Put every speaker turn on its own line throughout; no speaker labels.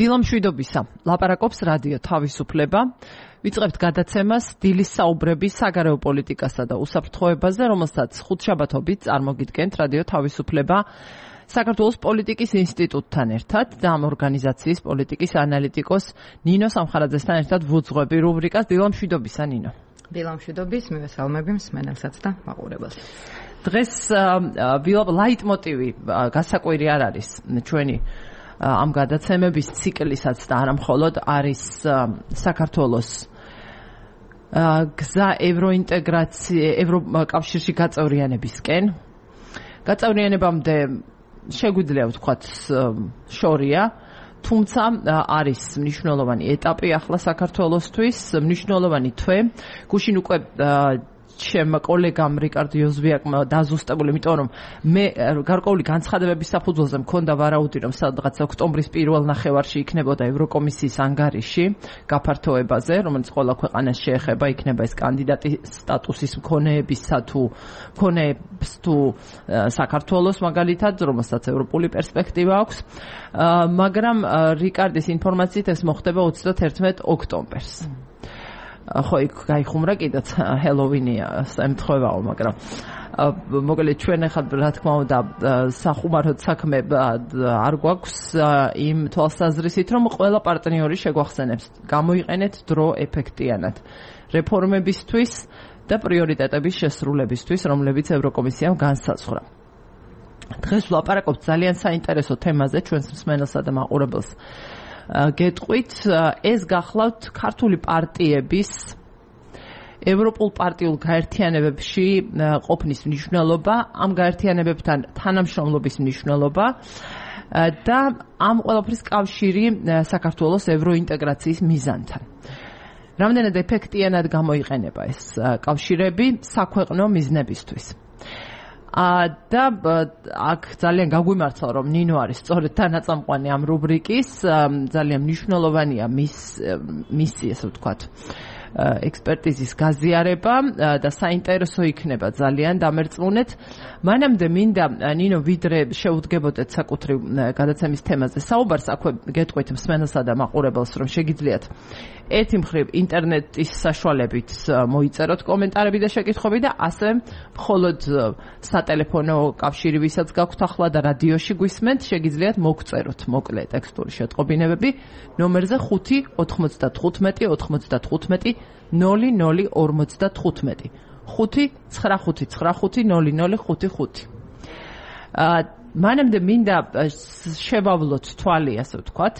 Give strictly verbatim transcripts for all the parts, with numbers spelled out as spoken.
დილამშვიდობისა, ლაპარაკობს რადიო თავისუფლება. ვიწყებთ გადაცემას დილის საუბრების საგარეო პოლიტიკასა და უსაფრთხოებაზე, რომელსაც ხუთშაბათობით წარმოგიდგენთ რადიო თავისუფლება საქართველოს პოლიტიკის ინსტიტუტთან ერთად და ამ ორგანიზაციის პოლიტიკის ანალიტიკოს ნინო სამხარაძესთან ერთად ვუძღვები რუბრიკას დილამშვიდობისა, ნინო.
დილამშვიდობის, მივესალმები მსმენელსაც და მაყურებელს.
დღეს ლაიტმოტივი გასაკვირი არ არის ჩვენი ამ გადაცემების ციკლისაც და არა მხოლოდ არის საქართველოს გზა ევროინტეგრაცია ევროკავშირში გაწევრიანებისკენ. გაწევრიანებამდე შეგვიძლია ვთქვათ შორია, თუმცა არის მნიშვნელოვანი ეტაპი ახლა საქართველოსთვის, მნიშვნელოვანი თვე. გუშინ უკვე ჩემ კოლეგამ რიკარდ იოზვიაკმა დაზუსტებული, იმიტომ რომ მე გარკვეული განცხადებების საფუძველზე მქონდა ვარაუდი, რომ სადღაც ოქტომბრის პირველ ნახევარში იქნებოდა ევროკომისიის ანგარიში გაფართოებაზე, რომელიც ყველა ქვეყანას შეეხება, იქნება ეს კანდიდატი სტატუსის მქონეებისა თუ მქონეებს თუ საქართველოს მაგალითად, რომელსაც ევროპული პერსპექტივა აქვს, მაგრამ რიკარდის ინფორმაციით ეს მოხდება ოცდაათერთმეტ ოქტომბერს. ხო, იქ გაიხუმრა კიდეც ჰელოვინია ემთხვევაო, მაგრამ მოგეთ ჩვენ ახლა რა თქმა უნდა სახუმაროდ საქმე არ გვაქვს იმ თვალსაზრისით, რომ ყველა პარტნიორი შეგვახსენებს გამოიყენეთ დრო ეფექტიანად რეფორმებისთვის და პრიორიტეტების შესრულებისთვის, რომლებიც ევროკომისიამ განსაზღვრა. დღეს ვლაპარაკობთ ძალიან საინტერესო თემაზე ჩვენს მსმენელსა და მაყურებელს. გეტყვით, ეს გახლავთ ქართული პარტიების ევროპულ პარტიულ გაერთიანებებში ყოფნის მნიშვნელობა, ამ გაერთიანებებთან თანამშრომლობის მნიშვნელობა და ამ ყველაფრის კავშირი საქართველოს ევროინტეგრაციის მიზანთან. რამდენად ეფექტიანად გამოიყენება ეს კავშირები საქვეყნო მიზნებისთვის. და აქ ძალიან გაგვიმართლა, რომ ნინო არის სწორედ თანაწამყვანი ამ რუბრიკის, ძალიან მნიშვნელოვანია მის მისი, ესე ვთქვათ, ექსპერტიზის გაზიარება და საინტერესო იქნება ძალიან დამერწმუნეთ. მანამდე მინდა ნინო ვიდრე შევუდგებოდეთ საკუთრივ გადაცემის თემაზე საუბარს, აქვე გეტყვით მსმენელსა და მაყურებელს, რომ შეგიძლიათ ერთი მხრივ ინტერნეტის საშუალებით მოიწეროთ კომენტარები და შეკითხვები და ასევე მხოლოდ სატელეფონო კავშირი, ვისაც გაქვთ ახლა და რადიოში გვისმენთ, შეგიძლიათ მოგწეროთ მოკლე ტექსტური შეტყობინებები ნომერზე ხუთი ოთხმოცდათხუთმეტი ოცდათხუთმეტი ნული ნული ორმოცდათხუთმეტი ხუთი ცხრა ხუთი ცხრა ხუთი ნული ნული ხუთი ხუთი. მანამდე მინდა შევავლოთ თვალი, ასე ვთქვათ,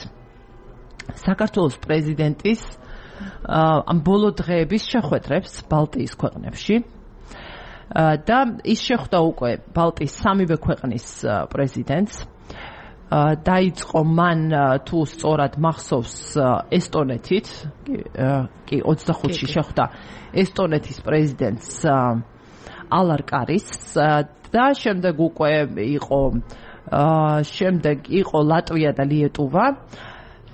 საქართველოს პრეზიდენტის ამ ბოლო დღეების შეხვედრებს ბალტიის ქვეყნებში და ის შეხვდა უკვე ბალტიის სამივე ქვეყნის პრეზიდენტს. დაიწყო მან თუ სწორად მახსოვს ესტონეთით, კი ოცდახუთში შეხვდა ესტონეთის პრეზიდენტს ალარ კარის და შემდეგ უკვე იყო შემდეგ იყო ლატვია და ლიეტუვა.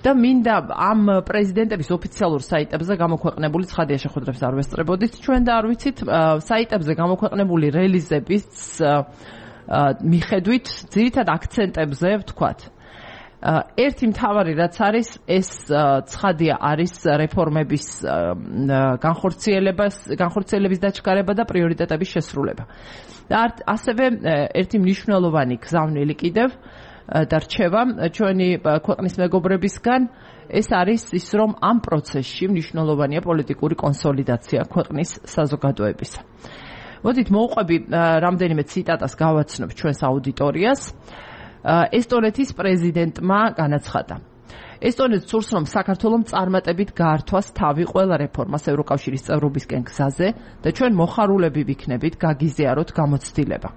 და მინდა ამ პრეზიდენტების ოფიციალურ საიტებზე გამოქვეყნებული, ცხადია შეხვედრებს არ ვესწრებოდით ჩვენ და არ ვიცით, საიტებზე გამოქვეყნებული რელიზების მიხედვით ძირითად აქცენტებზე ვთქვათ. ერთი მთავარი რაც არის, ეს ცხადია არის რეფორმების განხორციელებას, განხორციელების დაჩქარება და პრიორიტეტების შესრულება. და ასევე ერთი მნიშვნელოვანი გზავნილი კიდევ დარჩება ჩვენი ქვეყნის მეგობრებისგან, ეს არის ის, რომ ამ პროცესში მნიშვნელოვანია პოლიტიკური კონსოლიდაცია ქვეყნის საზოგადოებისა. მოდით მოვყვები რამდენიმე ციტატას გავაცნობ ჩვენს აუდიტორიას. ესტონეთის პრეზიდენტმა განაცხადა: ესტონეთს სურს, რომ საქართველომ წარმატებით გაართვას თავი ყველა რეფორმას ევროკავშირის წევრობისკენ გზაზე და ჩვენ მოხარულები ვიქნებით გაგიზიაროთ გამოცდილება.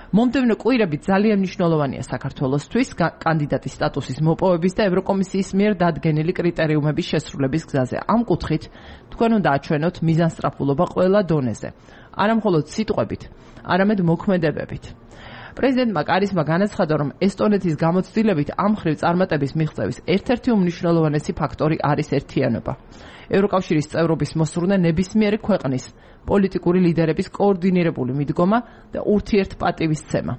მომდევნო კვირები ძალიან მნიშვნელოვანია საქართველოსთვის კანდიდატის სტატუსის მოპოვების და ევროკომისიის მიერ დადგენილი კრიტერიუმების შესრულების გზაზე. ამ კუთხით თქვენ უნდა აჩვენოთ მიზანსწრაფულობა ყველა დონეზე, არა მხოლოდ სიტყვებით, არამედ მოქმედებებით. პრეზიდენტმა კარისმა განაცხადა, რომ ესტონეთის გამოცდილებით ამ მხრივ წარმატების მიღწევის ერთ-ერთი უმნიშვნელოვანესი ფაქტორი არის ერთიანობა. ევროკავშირის წევრობის მოსურნე ნებისმიერი ქვეყნის პოლიტიკური ლიდერების კოორდინირებული მიდგომა და ურთიერთპატივისცემა.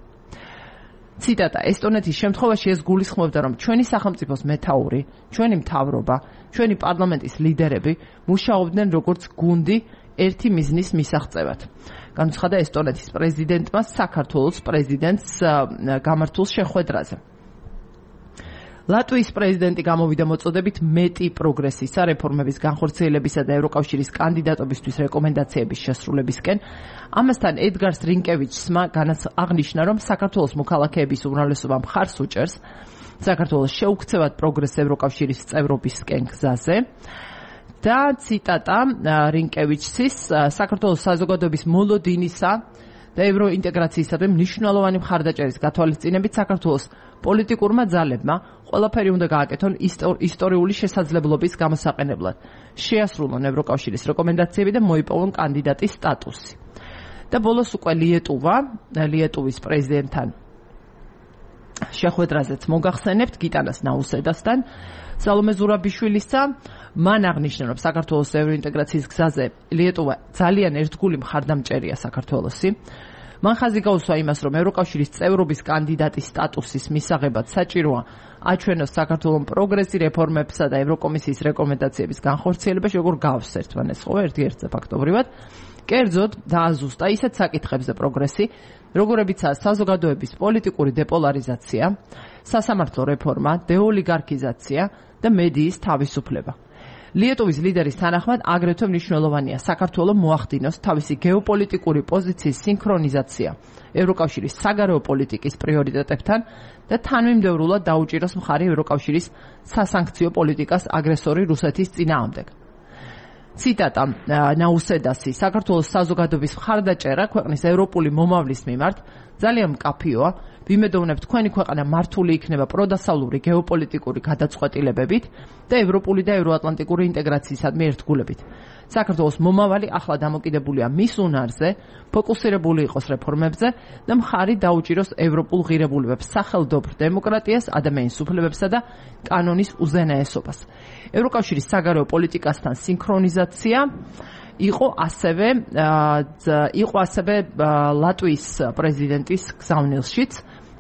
ციტატა: ესტონეთის შემთხვევაში ეს გულისხმობდა, რომ ჩვენი სახელმწიფოს მეთაური, ჩვენი მთავრობა, ჩვენი პარლამენტის ლიდერები მუშაობდნენ როგორც გუნდი ერთი მიზნის მისაღწევად. განუცხადა ესტონეთის პრეზიდენტმა საქართველოს პრეზიდენტს გამართულ შეხვედრაზე. ლატვიის პრეზიდენტი გამოვიდა მოწოდებით მეტი პროგრესისა, რეფორმების განხორციელებისა და ევროკავშირის კანდიდატობისთვის რეკომენდაციების შესრულებისკენ. ამასთან ედგარ რინკევიჩსმა აღნიშნა, რომ საქართველოს მოქალაქეების უმრავლესობა მხარს უჭერს საქართველოს შეუქცევად პროგრესს ევროკავშირის წევრობისკენ გზაზე. და ციტატა რინკევიჩსის: საქართველოს საზოგადოების მოლოდინისა და ევროინტეგრაციისადმი მნიშვნელოვანი მხარდაჭერის გათვალისწინებით საქართველოს პოლიტიკურმა ძალებმა ყველაფერი უნდა გააკეთონ ისტორიული შესაძლებლობის გამოსაყენებლად. შეასრულონ ევროკავშირის რეკომენდაციები და მოიპოვონ კანდიდატის სტატუსი. და ბოლოს უკვე ლიეტუვა, ლიეტუვის პრეზიდენტთან შეხვედრაზეც მოგახსენებთ გიტანას ნაუსედასთან, სალომე ზურაბიშვილისა. მან აღნიშნა, რომ საქართველოს ევროინტეგრაციის გზაზე ლიეტუვა ძალიან ერთგული მხარდამჭერია საქართველოსი. მან ხაზი გაუსვა იმას, რომ ევროკავშირის წევრობის კანდიდატის სტატუსის მისაღებად საჭიროა აჩვენოს საქართველოს პროგრესი რეფორმებსა და ევროკომისიის რეკომენდაციების განხორციელებაში, როგორ გავს ერთმანეთს, ერთ-ერთზე ფაქტობრივად. კერძოდ დააზუსტა ისეთ საკითხებზე პროგრესი, როგორებიცაა საზოგადოების პოლიტიკური დეპოლარიზაცია, სასამართლო რეფორმა, დეოლიგარქიზაცია და მედიის თავისუფლება. ლიეტუვის ლიდერის თანახმად აგრეთვე მნიშვნელოვანია საქართველოს მოახდინოს თავისი გეოპოლიტიკური პოზიციის სინქრონიზაცია ევროკავშირის საგარეო პოლიტიკის პრიორიტეტებთან და თანმიმდევრულად დაუჭიროს მხარი ევროკავშირის სასანქციო პოლიტიკას აგრესორი რუსეთის წინააღმდეგ. ციტატა ნაუსედასი: საქართველოს საზოგადოების მხარდაჭერა ქვეყნის ევროპული მომავლის მიმართ ძალიან მკაფიოა. ვიმედოვნებ, თქვენი ქვეყანა მართული იქნება პროდასავლური გეოპოლიტიკური გადაწყვეტილებებით და ევროპული და ევროატლანტიკური ინტეგრაციისადმი ერთგულებით. საქართველოს მომავალი ახლა დამოკიდებულია მის უნარზე, ფოკუსირებული იყოს რეფორმებზე და მხარი დაუჭიროს ევროპულ ღირებულებებს, სახელმწიფო დემოკრატიას, ადამიანის უფლებებსა და კანონის უზენაესობას. ევროკავშირის საგარეო პოლიტიკასთან სინქრონიზაცია იყო ასევე იყო ასევე ლატვიის პრეზიდენტის გზავნილშიც,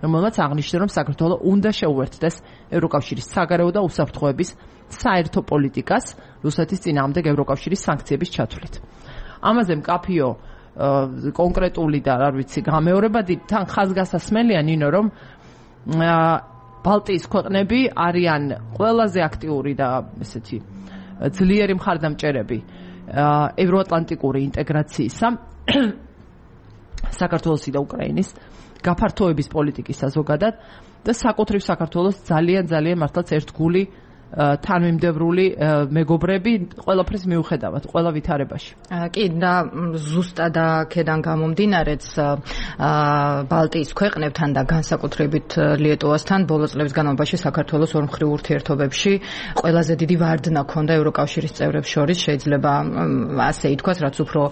რომელმაც აღნიშნა, რომ საქართველოს უნდა შეუერთდეს ევროკავშირის საგარეო და უსაფრთხოების საერთო პოლიტიკას რუსეთის წინააღმდეგ ევროკავშირის სანქციების ჩათვლით. ამაზე მკაფიო კონკრეტული და არ ვიცი გამეორებადი თან ხაზგასასმელია ნინო, რომ ბალტიის ქვეყნები არიან ყველაზე აქტიური და ესეთი ძლიერი მხარდამჭერები ევროატლანტიკური ინტეგრაციისა საქართველოსი და უკრაინის გაფართოების პოლიტიკისა ზოგადად და საკუთრივ საქართველოს ძალიან ძალიან მართლაც ერთგული თანმიმდევრული მეგობრები ყველაფრის მიუხედავად, ყველა ვითარებაში.
კი, და ზუსტად აქედან გამომდინარეც ბალტიის ქვეყნებთან და განსაკუთრებით ლიეტუვასთან ბოლო წლების განმავლობაში საქართველოს ორმხრივ ურთიერთობებში ყველაზე დიდი ვარდნა ჰქონდა ევროკავშირის წევრებს შორის, შეიძლება ასე ითქვას, რაც უფრო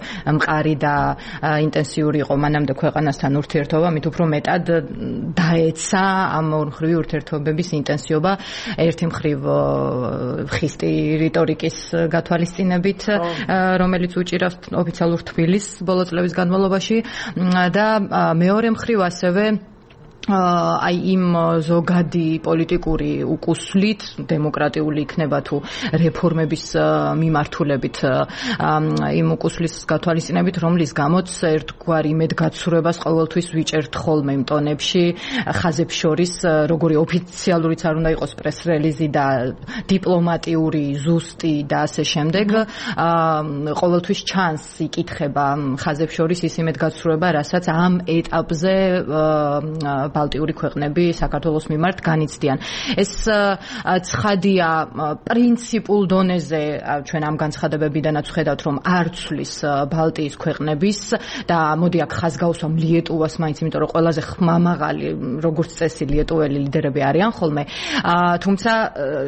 მყარი და ინტენსიური იყო მანამდე ქვეყანასთან ურთიერთობა, მით უფრო მეტად დაეცა ამ ორმხრივი ურთიერთობების ინტენსიობა ერთი მხრივ ხისტი რიტორიკის გათვალისწინებით, რომელიც უჭირავს ოფიციალურ თბილისს ბოლო წლების განმავლობაში და მეორე მხრივ ასევე აი იმ ზოგადი პოლიტიკური უკუსლით დემოკრატიული იქნება თუ რეფორმების მიმართულებით იმ უკუსლის გათვალისწინებით, რომლის გამოც ერთგვარი იმედგაცრუებას ყოველთვის ვიჭერთ ხოლმე იმ ტონებში ხაზებს შორის, როგორი ოფიციალურიც არ უნდა იყოს პრეს-რელიზი და დიპლომატიური ზუსტი და ასე შემდეგ, ყოველთვის ჩანს იკითხება ხაზებს შორის ის იმედგაცრუება, რასაც ამ ეტაპზე ბალტიური ქვეყნები საქართველოს მიმართ განიცდიან. ეს ცხადია პრინციპულ დონეზე, ჩვენ ამ განცხადებებიდანაც ვხედავთ, რომ არ ცვლის ბალტიის ქვეყნების და მოდი აქ ხაზგაუსვამ ლიეტუვას მაინც, იმიტომ რომ ყველაზე ხმამაღალი როგორც წესი ლიეტუველი ლიდერები არიან ხოლმე. თუმცა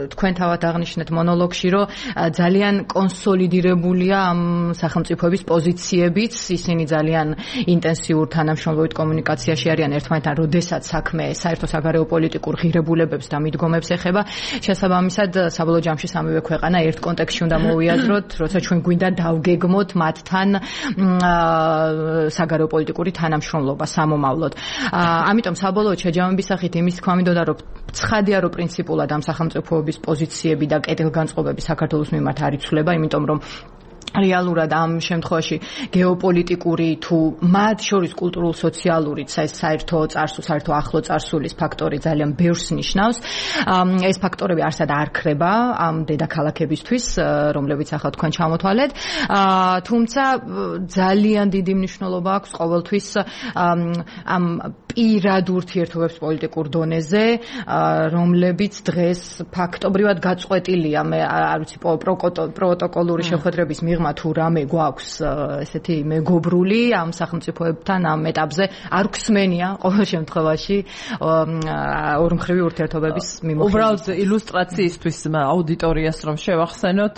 თქვენ თავად აღნიშნეთ მონოლოგში, რომ ძალიან კონსოლიდირებულია ამ სახელმწიფოების პოზიციებიც, ისინი ძალიან ინტენსიურ თანამშრომლობით კომუნიკაციაში არიან ერთმანეთთან, როდესაც როდესაც საქმე საერთო საგარეო პოლიტიკურ ღირებულებებს და მიდგომებს ეხება, შესაბამისად საბოლოო ჯამში სამივე ქვეყანა ერთ კონტექსტში უნდა მოვიაზროთ, როცა ჩვენ გვინდა დავგეგმოთ მათთან საგარეო პოლიტიკური თანამშრომლობა სამომავლოდ. ამიტომ საბოლოოდ შეჯამების სახით იმის თქვა მინდოდა, რომ ცხადია, რომ პრინციპულად ამ სახელმწიფოების პოზიციები და კეთილგანწყობები საქართველოს მიმართ არ იცვლება, იმიტომ რომ რეალურად ამ შემთხვევაში გეოპოლიტიკური თუ მათ შორის კულტურულ სოციალური საერთო წარსულ საერთო ახლო წარსულის ფაქტორი ძალიან ბევრს ნიშნავს. ეს ფაქტორები არსად არ ქრება ამ დედაქალაქებისთვის, რომლებიც ახლა თქვენ ჩამოთვალეთ. თუმცა ძალიან დიდი მნიშვნელობა აქვს ყოველთვის ამ პირად ურთიერთობებს პოლიტიკურ დონეზე, რომლებიც დღეს ფაქტობრივად გაწყვეტილია, მე არ ვიცი, პროტოკოლური შეხვედრების მიღმა თუ რამე გვაქვს ესეთი მეგობრული ამ სახელმწიფოებთან ამ ეტაპზე არ გვსმენია ყოველ შემთხვევაში ორმხრივი ურთიერთობების მიმოხილვის.
უბრალოდ ილუსტრაციისთვის აუდიტორიას რომ შევახსენოთ,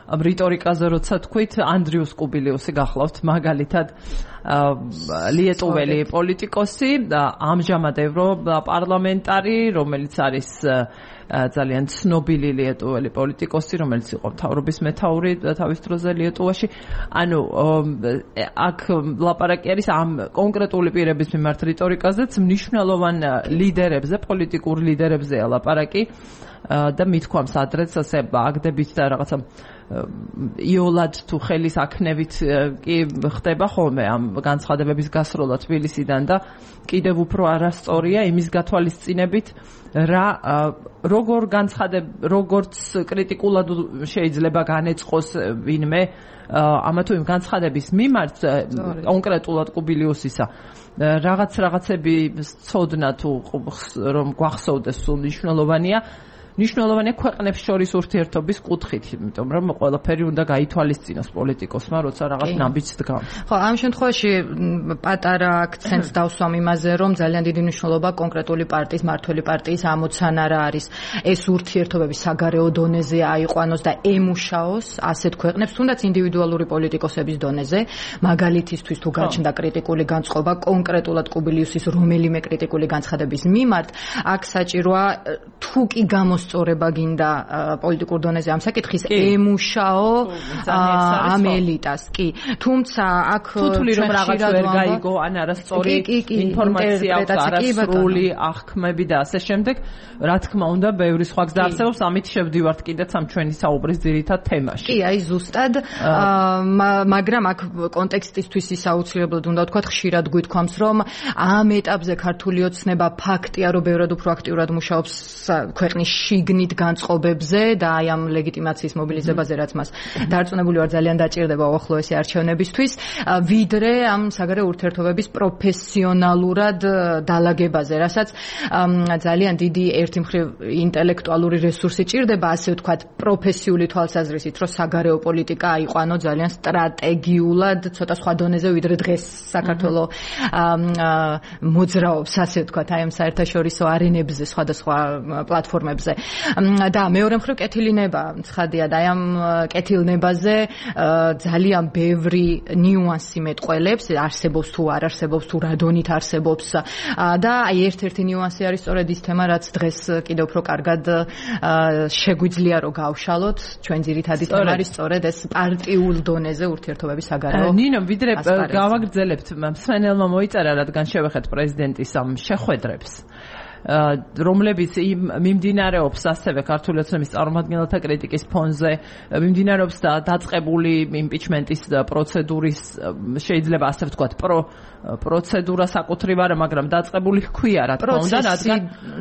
ამ რიტორიკაზე როცა თქვით, ანდრიუს კუბილიუსი გახლავთ მაგალითად ლიეტუველი პოლიტიკოსი, ამჟამად ევროპარლამენტარი, რომელიც არის ძალიან ცნობილი ლიეტუველი პოლიტიკოსი, რომელიც იყო მთავრობის მეთაური თავის დროზე ლიეტუვაში. ანუ აქ ლაპარაკი არის ამ კონკრეტული პირების მიმართ რიტორიკაზეც, მნიშვნელოვან ლიდერებზე, პოლიტიკურ ლიდერებზეა ლაპარაკი და მithქვამს ადრეც ასე აგდებით და რაღაცა იოლად თუ ხელის აქნევით კი ხდება ხოლმე ამ განცხადებების გასროლა თბილისიდან და კიდევ უფრო არასწორია იმის გათვალისწინებით რა როგორ განცხადებ როგორც კრიტიკულად შეიძლება განეწყოს ვინმე ამა თუ იმ განცხადების მიმართ კონკრეტულად კუბილიუსისა რაღაც რაღაცები ცოდნა თუ რომ გვახსოვდეს სულ მნიშვნელოვანია ნიშნულოვანია ქვეყნებს შორის ურთიერთობის კუთხით, იმიტომ რომ ყველაფერი უნდა გაითვალისწინოს პოლიტიკოსმა, როცა რაღაც ნაბიჯს დგამს.
ხო, ამ შემთხვევაში პატარა აქცენტს დავსვამ იმაზე, რომ ძალიან დიდი მნიშვნელობა კონკრეტული პარტიის, მართველი პარტიის ამოცანა რა არის ეს ურთიერთობები საგარეო დონეზე აიყვანოს და ემუშაოს ასეთ ქვეყნებს, თუნდაც ინდივიდუალური პოლიტიკოსების დონეზე, მაგალითისთვის თუ გაჩნდა კრიტიკული განწყობა კონკრეტულად კუბილიუსის რომელიმე კრიტიკული განცხადების მიმართ, აქ საჭიროა თუ კი გამოს სწორება გინდა პოლიტიკურ დონეზე ამ საკითხის ემუშაო ამ ელიტას კი თუმცა აქ
თუთული რომ რაღაც ვერ გაიგო ან არასწორი ინფორმაცია აქვს არასრული აღქმები და ასე შემდეგ რა თქმა უნდა ბევრი სხვა გზა არსებობს ამით შევდივართ კიდეც ამ ჩვენი საუბრის ძირითად თემაში
კი აი ზუსტად მაგრამ აქ კონტექსტისთვის ის აუცილებლად უნდა ვთქვათ ხშირად გვითქვამს რომ ამ ეტაპზე ქართული ოცნება ფაქტია რომ ბევრად უფრო აქტიურად მუშაობს ქვეყნის შიგნით განწყობებზე და აი ამ ლეგიტიმაციის მობილიზებაზე რაც მას დარწმუნებული ვარ ძალიან დაჭირდება უახლოესი არჩევნებისთვის ვიდრე ამ საგარეო ურთიერთობების პროფესიონალურად დალაგებაზე რასაც ძალიან დიდი ერთი მხრივ ინტელექტუალური რესურსი ჭირდება ასე ვთქვათ პროფესიული თვალსაზრისით რომ საგარეო პოლიტიკა აიყვანო ძალიან სტრატეგიულად ცოტა სხვა დონეზე ვიდრე დღეს საქართველოს მოძრაობს ასე ვთქვათ აი ამ საერთაშორისო არენებზე სხვადასხვა პლატფორმებზე და მეორე მხრივ კეთილინება ცხადია და აი ამ კეთილნებაზე ძალიან ბევრი ნიუანსი მეტყველებს არსებობს თუ არ არსებობს თუ რა დონით არსებობს და აი ერთ-ერთი ნიუანსი არის სწორედ ის თემა რაც დღეს კიდევ უფრო კარგად შეგვიძლია რომ გავშალოთ ჩვენ ძირითადი თემა არის სწორედ ეს პარტიულ დონეზე ურთიერთობების საგარეო
ნინო ვიდრე გავაგრძელებთ მსმენელმა მოიწერა რადგან შევეხეთ პრეზიდენტის ამ შეხვედრებს რომლებიც მიმდინარეობს ასევე ქართული ოცნების წარმომადგენელთა კრიტიკის ფონზე მიმდინარეობს და დაწყებული იმპიჩმენტის პროცედურის შეიძლება ასე ვთქვათ პრო პროცედურა საკუთრივ არა მაგრამ დაწყებული ჰქვია რა თქმა უნდა რადგან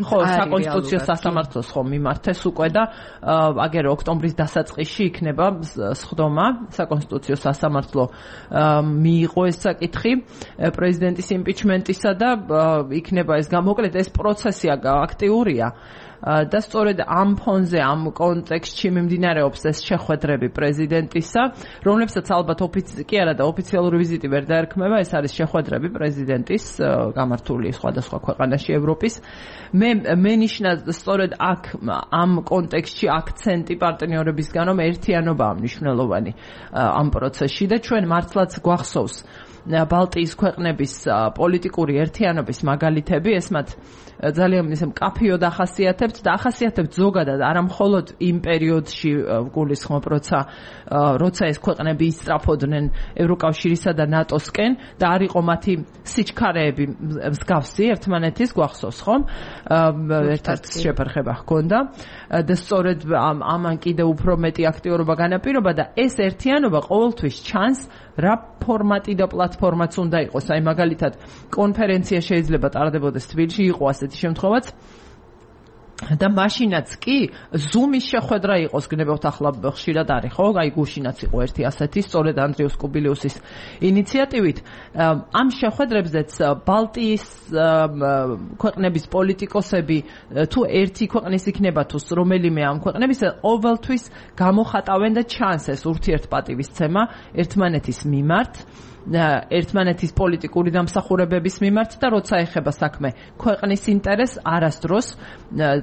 ხო საკონსტიტუციო სასამართლოს ხო მიმართეს უკვე და აგერ ოქტომბრის დასაწყისში იქნება სხდომა საკონსტიტუციო სასამართლო მიიღო ეს საკითხი პრეზიდენტის იმპიჩმენტისა და იქნება ეს გამოკლედ ეს პროცესი აქტიურია და სწორედ ამ ფონზე, ამ კონტექსტში მიმდინარეობს ეს შეხვედრები პრეზიდენტისა, რომლებსაც ალბათ ოფიცი კი არა და ოფიციალური ვიზიტი ვერ დაერქმევა, ეს არის შეხვედრები პრეზიდენტის გამართული სხვადასხვა ქვეყანაში ევროპის. მე მენიშნა სწორედ აქ ამ კონტექსტში აქცენტი პარტნიორებისგან, რომ ერთიანობაა მნიშვნელოვანი ამ პროცესში და ჩვენ მართლაც გვახსოვს ბალტიის ქვეყნების პოლიტიკური ერთიანობის მაგალითები, ეს მათ ძალიან ისე მკაფიოდ ახასიათებთ და ახასიათებთ ზოგადად არა მხოლოდ იმ პერიოდში გულისხმობ, როცა როცა ეს ქვეყნები ისწრაფოდნენ ევროკავშირისა და ნატოსკენ და არ იყო მათი სიჩქარეები მსგავსი ერთმანეთის, გვახსოვს ხომ? ერთ-ერთი შეფერხება ჰქონდა და სწორედ ამან კიდე უფრო მეტი აქტიურობა განაპირობა და ეს ერთიანობა ყოველთვის ჩანს რა ფორმატი და პლატფორმაც უნდა იყოს. აი მაგალითად კონფერენცია შეიძლება ტარდებოდეს თბილისში, იყო ასეთი შემთხვევაც და მაშინაც კი ზუმის შეხვედრა იყოს, გნებავთ ახლა ხშირად არის, ხო? აი გუშინაც იყო ერთი ასეთი, სწორედ ანდრიუს კუბილიუსის ინიციატივით. ამ შეხვედრებზეც ბალტიის ქვეყნების პოლიტიკოსები თუ ერთი ქვეყნის იქნება თუ რომელიმე ამ ქვეყნების ყოველთვის გამოხატავენ და ჩანს ეს ურთიერთპატივისცემა ერთმანეთის მიმართ, ერთმანეთის პოლიტიკური დამსახურებების მიმართ და როცა ეხება საქმე ქვეყნის ინტერესს, არასდროს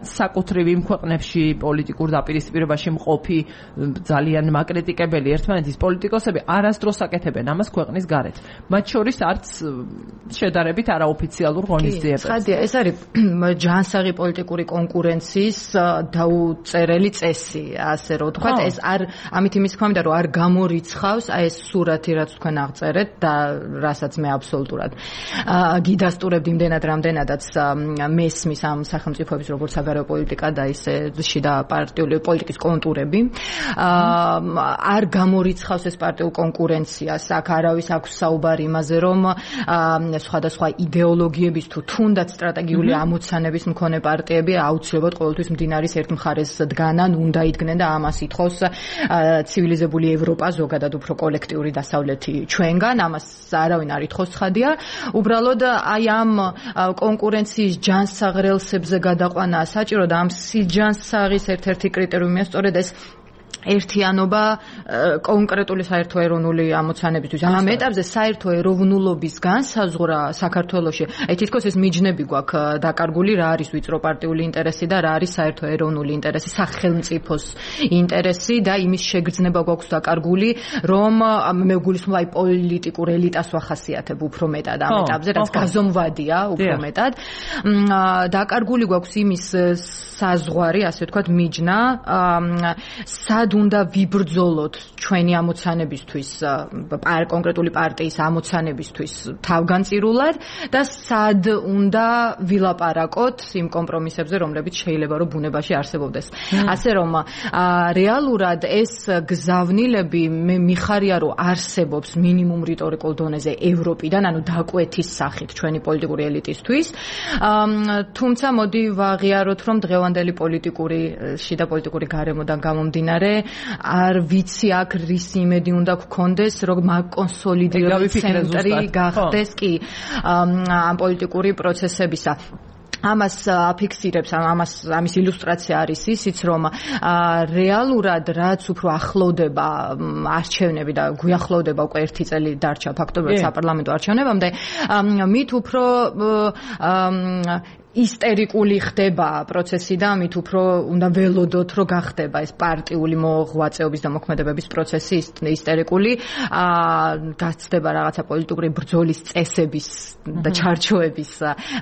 საკუთრივ იმ ქვეყნებში პოლიტიკურ დაპირისპირებაში მყოფი ძალიან მაკრიტიკებელი ერთმანეთის პოლიტიკოსები არასდროს აკეთებენ ამას ქვეყნის გარეთ. მათ შორის არც შედარებით არაოფიციალურ ღონისძიებებს.
ცხადია, ეს არის ჯანსაღი პოლიტიკური კონკურენციის დაუწერელი წესი, ასე რომ ვთქვათ, ეს არ ამით იმის თქმა მინდა, რომ არ გამორიცხავს აი ეს სურათი, რაც თქვენ აღწერეთ და რასაც მე აბსოლუტურად გიდასტურებდი იმდენად რამდენადაც მესმის ამ სახელმწიფოების როგორც საგარეო პოლიტიკა და ისე შიდა პარტიული პოლიტიკის კონტურები არ გამორიცხავს ეს პარტიულ კონკურენციას. აქ არავის აქვს საუბარი იმაზე, რომ სხვადასხვა იდეოლოგიების თუ თუნდაც სტრატეგიული ამოცანების მქონე პარტიები აუცილებლად ყოველთვის მდინარის ერთ მხარეს დგანან, უნდა იდგნენ და ამას ითხოვს ცივილიზებული ევროპა, ზოგადად უფრო კოლექტიური დასავლეთი ჩვენგან. ამას არავინ არ ითხოვს, ხადია. უბრალოდ აი ამ კონკურენციის ჯანსაღ რელსებზე გადაყვანაა საჭირო და ამ სიჯანსაღის ერთ-ერთი კრიტერიუმია სწორედ ეს ერთიანობა კონკრეტული საერთო ეროვნული ამოცანებისთვის. ამ ეტაპზე საერთო ეროვნულობის განსაზღვრა საქართველოში, აი თითქოს ეს მიჯნები გვაქვს დაკარგული, რა არის ვიწრო პარტიული ინტერესი და რა არის საერთო ეროვნული ინტერესი, სახელმწიფოს ინტერესი და იმის შეგრძნება გვაქვს დაკარგული, რომ მე გულისხმობ აი პოლიტიკურ ელიტას ვახასიათებ უფრო მეტად ამ ეტაპზე, რაც გაზომვადია უფრო მეტად. დაკარგული გვაქვს იმის საზღვარი, ასე ვთქვათ, მიჯნა, სად უნდა ვიბრძოლოთ ჩვენი ამოცანებისთვის, კონკრეტული პარტიის ამოცანებისთვის თავგანწირულად და სად უნდა ვილაპარაკოთ იმ კომპრომისებზე, რომლებიც შეიძლება რომ ბუნებაში არსებობდეს. ასე რომ რეალურად ეს გზავნილები მე მიხარია რომ არსებობს მინიმუმ რიტორიკულ დონეზე ევროპიდან, ანუ დაკვეთის სახით ჩვენი პოლიტიკური ელიტისთვის. თუმცა მოდი ვაღიაროთ, რომ დღევანდელი პოლიტიკური შიდა პოლიტიკური გარემოდან გამომდინარე არ ვიცი აქ რის იმედი უნდა გქონდეს, რომ მაგკონსოლიდირებული ცენტრი გახდეს კი ამ პოლიტიკური პროცესებისა. ამას აფიქსირებს, ამას ამის ილუსტრაცია არის ისიც, რომ რეალურად რაც უფრო ახლოვდება არჩევნები და გვიახლოვდება უკვე ერთი წელი დარჩა ფაქტობრივად საპარლამენტო არჩევნებამდე, მით უფრო ისტერიკული ხდება პროცესი და მით უფრო უნდა ველოდოთ, რომ გახდება ეს პარტიული მოღვაწეობის და მოქმედებების პროცესი ისტერიკული, გაცდება რაღაცა პოლიტიკური ბრძოლის წესების და ჩარჩოების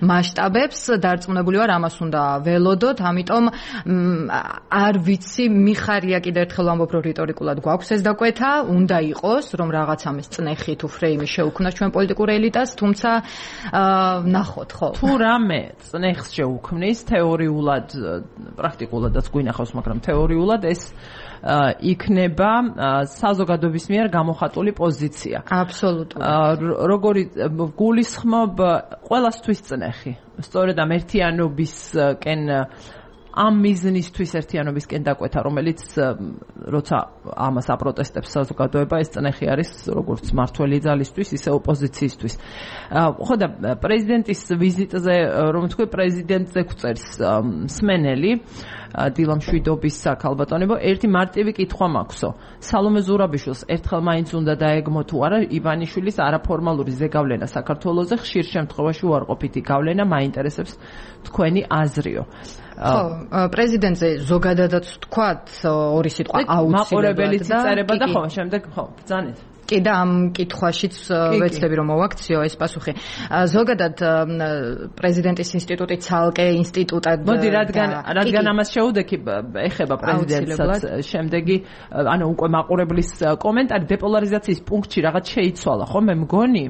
მასშტაბებს, დარწმუნებული ვარ, ამას უნდა ველოდოთ, ამიტომ არ ვიცი, მიხარია კიდევ ერთხელ ვამბობ, რომ რიტორიკულად გვაქვს ეს დაკვეთა, უნდა იყოს, რომ რაღაც ამის წნეხი თუ ფრეიმი შეუქმნას ჩვენ პოლიტიკურ ელიტას, თუმცა ნახოთ, ხო.
თუ რამე ნეხს შეუქმნის თეორიულად, პრაქტიკულადაც გვინახავს, მაგრამ თეორიულად ეს იქნება საზოგადოების მიერ გამოხატული პოზიცია.
აბსოლუტურად.
როგორი გულისხმობ ყველასთვის წნეხი. სწორედ ამ ერთიანობისკენ ამ მიზნისთვის ერთიანობისკენ დაკვეთა, რომელიც როცა ამას აპროტესტებს საზოგადოება, ეს წნეხი არის როგორც მართველი ძალისთვის, ისე ოპოზიციისთვის. ხო და პრეზიდენტის ვიზიტზე, რომ თქვი, პრეზიდენტზე გვწერს მსმენელი დილა მშვიდობის ქალბატონებო, ერთი მარტივი კითხვა მაქვსო. სალომე ზურაბიშვილს ერთხელ მაინც უნდა დაეგმო თუ არა ივანიშვილის არაფორმალური ზეგავლენა საქართველოზე, ხშირ შემთხვევაში უარყოფითი გავლენა მაინტერესებს თქვენი აზრიო.
ხო, პრეზიდენტზე ზოგადადაც თქვათ ორი სიტყვა აუცილებლად და
მაყურებელი წერება და ხო, შემდეგ ხო, ბრძანეთ.
კი და ამ კითხვაშიც ვეცდები რომ მოვაქციო ეს პასუხი. ზოგადად პრეზიდენტის ინსტიტუტი ცალკე ინსტიტუტად
მოდი რადგან რადგან ამას შეუდექი ეხება პრეზიდენტსაც შემდეგი ანუ უკვე მაყურებლის კომენტარი დეპოლარიზაციის პუნქტში რაღაც შეიცვალა ხო მე მგონი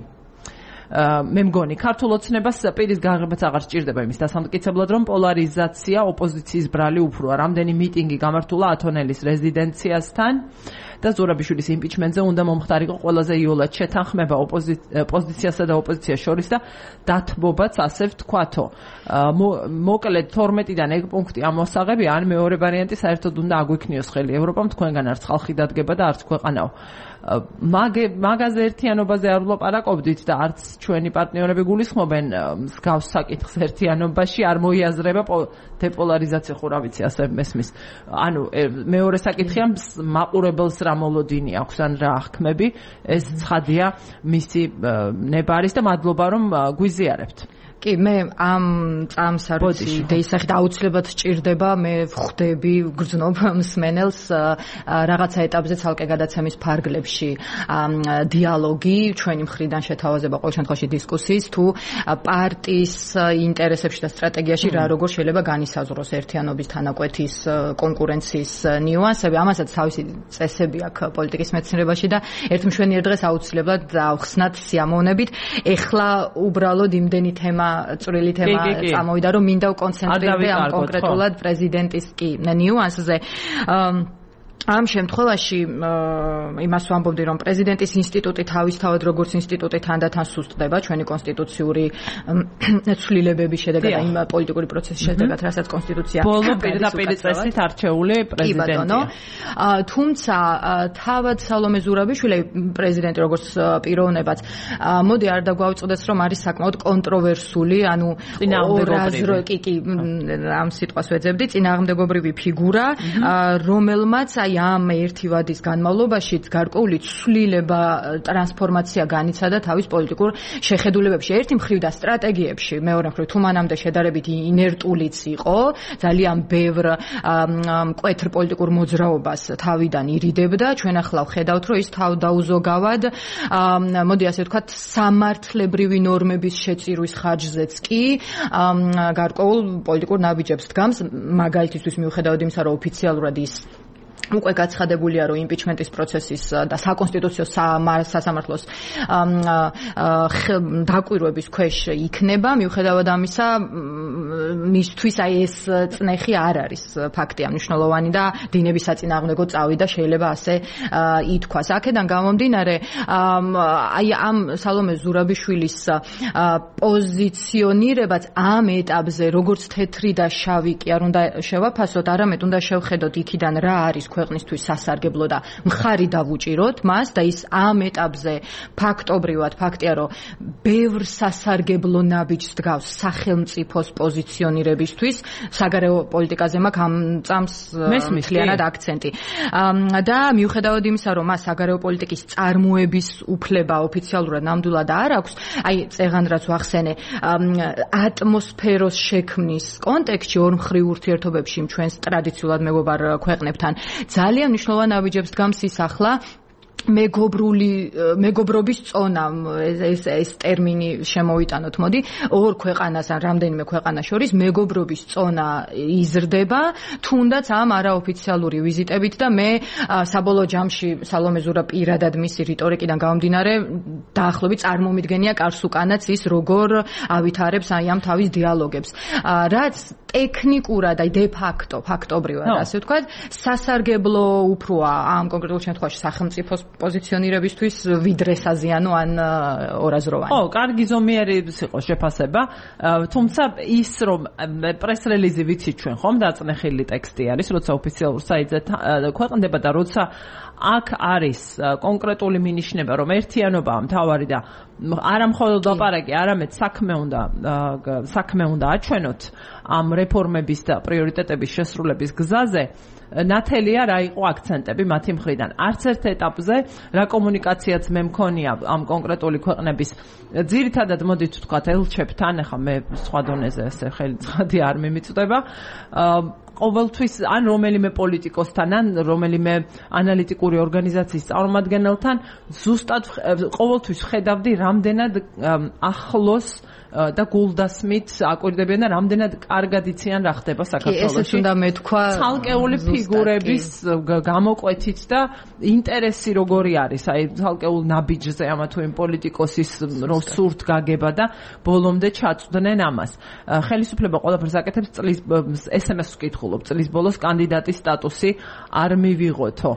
მე მგონი ქართულ ოცნებას პირის გაღებაც აღარ სჭირდება იმის დასამტკიცებლად რომ პოლარიზაცია ოპოზიციის ბრალი უფროა რამდენი მიტინგი გამართულა ათონელის რეზიდენციასთან და ზურაბიშვილის იმპიჩმენტზე უნდა მომხდარიყო ყველაზე იოლად შეთანხმება ოპოზიციასა და ოპოზიციას შორის და დათბობაც ასე ვთქვათო მოკლედ თორმეტიდან ეგ პუნქტი ამოსაღებია ან მეორე ვარიანტი საერთოდ უნდა აგვიქნიოს ხელი ევროპამ თქვენგან არც ხალხი დადგება და არც ქვეყანაო მაგაზე ერთიანობაზე არ ვლაპარაკობდით და არც ჩვენი პარტნიორები გულისხმობენ მსგავს საკითხს ერთიანობაში არ მოიაზრება დეპოლარიზაცია ხო რა ვიცი ასე მესმის ანუ მეორე საკითხია მაყურებელს რა მოლოდინი აქვს ან რა აღქმები ეს ცხადია მისი ნებარის და მადლობა რომ გვიზიარებთ
კი მე ამ წამს არ ვიცი დეისახით აუცილებლად სჭირდება მე ვხვდები გრძნობ მსმენელს რაღაცა ეტაპზე ცალკე გადაცემის ფარგლებში დიალოგი ჩვენი მხრიდან შეთავაზება ყოველ შემთხვევაში დისკუსიის თუ პარტიის ინტერესებში და სტრატეგიაში რა როგორ შეიძლება განისაზღვროს ერთიანობის თანაკვეთის კონკურენციის ნიუანსები ამასაც თავისი წესები აქვს პოლიტიკის მეცნიერებაში და ერთ მშვენიერ დღეს აუცილებლად დავხსნათ სიამოვნებით ეხლა უბრალოდ იმდენი თემა წვრილი თემა წამოვიდა რომ მინდა ვკონცენტრირდე ამ კონკრეტულად პრეზიდენტის კი ნიუანსზე ამ შემთხვევაში იმას ვამბობდი რომ პრეზიდენტის ინსტიტუტი თავისთავად როგორც ინსტიტუტი თანდათან სუსტდება ჩვენი კონსტიტუციური ცვლილებების შედეგად იმ პოლიტიკური პროცესის შედეგად რასაც კონსტიტუცია
ბოლო პირდაპირ წესით არჩეული პრეზიდენტია
თუმცა თავად სალომე ზურაბიშვილი პრეზიდენტი როგორც პიროვნებაც მოდი არ დაგვაუწყდეს რომ არის საკმაოდ კონტროვერსული ანუ
წინააღმდეგობრივი
კი ამ სიტყვას ვეძებდი წინააღმდეგობრივი ფიგურა რომელმაც ამ ერთი ვადის განმავლობაში გარკვეული ცვლილება ტრანსფორმაცია განიცადა თავის პოლიტიკურ შეხედულებებში ერთი მხრივ და სტრატეგიებში მეორე მხრივ თუ მანამდე შედარებით ინერტულიც იყო ძალიან ბევრ მკვეთრ პოლიტიკურ მოძრაობას თავიდან ირიდებდა ჩვენ ახლა ვხედავთ რომ ის თავდაუზოგავად მოდი ასე ვთქვათ სამართლებრივი ნორმების შეწირვის ხარჯზეც კი გარკვეულ პოლიტიკურ ნაბიჯებს დგამს მაგალითისთვის მიუხედავად იმისა რომ ოფიციალურად ის უკვე გაცხადებულია რომ იმპიჩმენტის პროცესის და საკონსტიტუციო სასამართლოს დაკვირვების ქვეშ იქნება მიუხედავად ამისა მისთვის აი ეს წნეხი არ არის ფაქტია მნიშვნელოვანი და დინების საწინააღმდეგო წავიდა შეიძლება ასე ითქვას აქედან გამომდინარე აი ამ სალომე ზურაბიშვილის პოზიციონირებაც ამ ეტაპზე როგორც თეთრი და შავი კი არ უნდა შევაფასოთ არამედ უნდა შევხედოთ იქიდან რა არის ქვეყნისთვის სასარგებლო და მხარი დავუჭიროთ მას და ის ამ ეტაპზე ფაქტობრივად ფაქტია რომ ბევრ სასარგებლო ნაბიჯს დგავს სახელმწიფოს პოზიციონირებისთვის საგარეო პოლიტიკაზე მაქვს ამ წამს მთლიანად აქცენტი და მიუხედავად იმისა რომ მას საგარეო პოლიტიკის წარმოების უფლება ოფიციალურად ნამდვილად არ აქვს აი წეღან რაც ვახსენე ატმოსფეროს შექმნის კონტექსტში ორმხრივ ურთიერთობებში ჩვენს ტრადიციულად მეგობარ ქვეყნებთან ძალიან მნიშვნელოვან ნაბიჯებს დგამს ის ახლა მეგობრული მეგობრობის წონა ეს ეს ტერმინი შემოვიტანოთ მოდი ორ ქვეყანას ან რამდენიმე ქვეყანას შორის მეგობრობის წონა იზრდება თუნდაც ამ არაოფიციალური ვიზიტებით და მე საბოლოო ჯამში სალომე ზურა პირადად მისი რიტორიკიდან გამომდინარე დაახლოებით წარმომიდგენია კარს უკანაც ის როგორ ავითარებს აი ამ თავის დიალოგებს რაც ტექნიკურად აი დე ფაქტო ფაქტობრივად ასე ვთქვათ სასარგებლო უფროა ამ კონკრეტულ შემთხვევაში სახელმწიფოს პოზიციონირებისთვის ვიდრე საზიანო ან ორაზროვანი.
ხო, კარგი ზომიერი იყო შეფასება, თუმცა ის რომ პრეს-რელიზი ვიცით ჩვენ ხომ დაწნეხილი ტექსტი არის, როცა ოფიციალურ საიტზე ქვეყნდება და როცა აქ არის კონკრეტული მინიშნება, რომ ერთიანობაა მთავარი და არა მხოლოდ ლაპარაკი, არამედ საქმე უნდა საქმე უნდა აჩვენოთ ამ რეფორმების და პრიორიტეტების შესრულების გზაზე, ნათელია რა იყო აქცენტები მათი მხრიდან. არც ერთ ეტაპზე რა კომუნიკაციაც მე მქონია ამ კონკრეტული ქვეყნების ძირითადად მოდით ვთქვათ ელჩებთან, ახლა მე სხვა დონეზე ესე ხელმძღვანელი არ მიმიწვდება, ყოველთვის ან რომელიმე პოლიტიკოსთან ან რომელიმე ანალიტიკური ორგანიზაციის წარმომადგენელთან ზუსტად ყოველთვის ხედავდი რამდენად ახლოს და გულდასმით აკვირდებიან და რამდენად კარგად იციან რა ხდება საქართველოში.
ესეც უნდა მეთქვა
ცალკეული ფიგურების გამოკვეთით და ინტერესი როგორი არის, აი ცალკეულ ნაბიჯზე ამა თუ იმ პოლიტიკოსის რო სურთ გაგება და ბოლომდე ჩაწვდნენ ამას. ხელისუფლება ყველაფერს აკეთებს, წლის ეს ემ ეს-ს ვკითხულობ, წლის ბოლოს კანდიდატის სტატუსი არ მივიღოთო.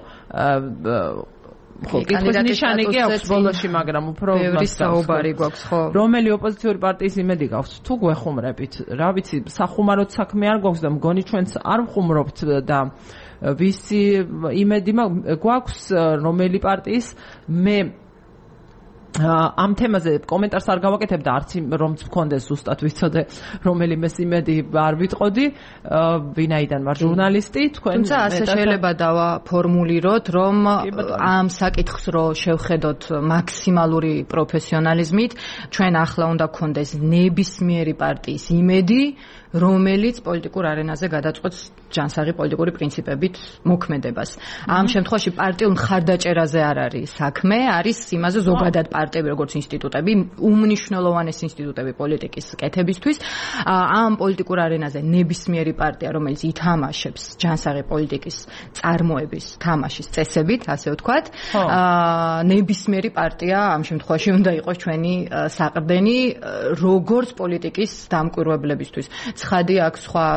ხო, კითხვის ნიშანი კი აქვს ბოლოში, მაგრამ უფრო
ბევრი საუბარი გვაქვს, ხო.
რომელი ოპოზიციური პარტიის იმედი გაქვს? თუ გვეხუმრებით, რა ვიცი, სახუმაროდ საქმე არ გვაქვს და მგონი ჩვენც არ ვხუმრობთ და ვისი იმედი გვაქვს რომელი პარტიის მე ამ თემაზე კომენტარს არ გავაკეთებ და არც რომც მქონდეს ზუსტად ვიცოდე რომელიმეს იმედი არ ვიტყოდი, ვინაიდან ვარ ჟურნალისტი, თქვენ
თუმცა ასე შეიძლება დავაფორმულიროთ, რომ ამ საკითხს რო შევხედოთ მაქსიმალური პროფესიონალიზმით, ჩვენ ახლა უნდა გქონდეს ნებისმიერი პარტიის იმედი, რომელიც პოლიტიკურ არენაზე გადაწყვეტს ჯანსაღი პოლიტიკური პრინციპებით მოქმედებას. ამ შემთხვევაში პარტიულ მხარდაჭერაზე არ არის საქმე, არის იმაზე ზოგადად პარტიები როგორც ინსტიტუტები, უმნიშვნელოვანესი ინსტიტუტები პოლიტიკის კეთებისთვის. ამ პოლიტიკურ არენაზე ნებისმიერი პარტია, რომელიც ითამაშებს ჯანსაღი პოლიტიკის წარმოების თამაშის წესებით, ასე ვთქვათ, ნებისმიერი პარტია ამ შემთხვევაში უნდა იყოს ჩვენი საყრდენი როგორც პოლიტიკის დამკვირვებლებისთვის. ცხადი აქ სხვა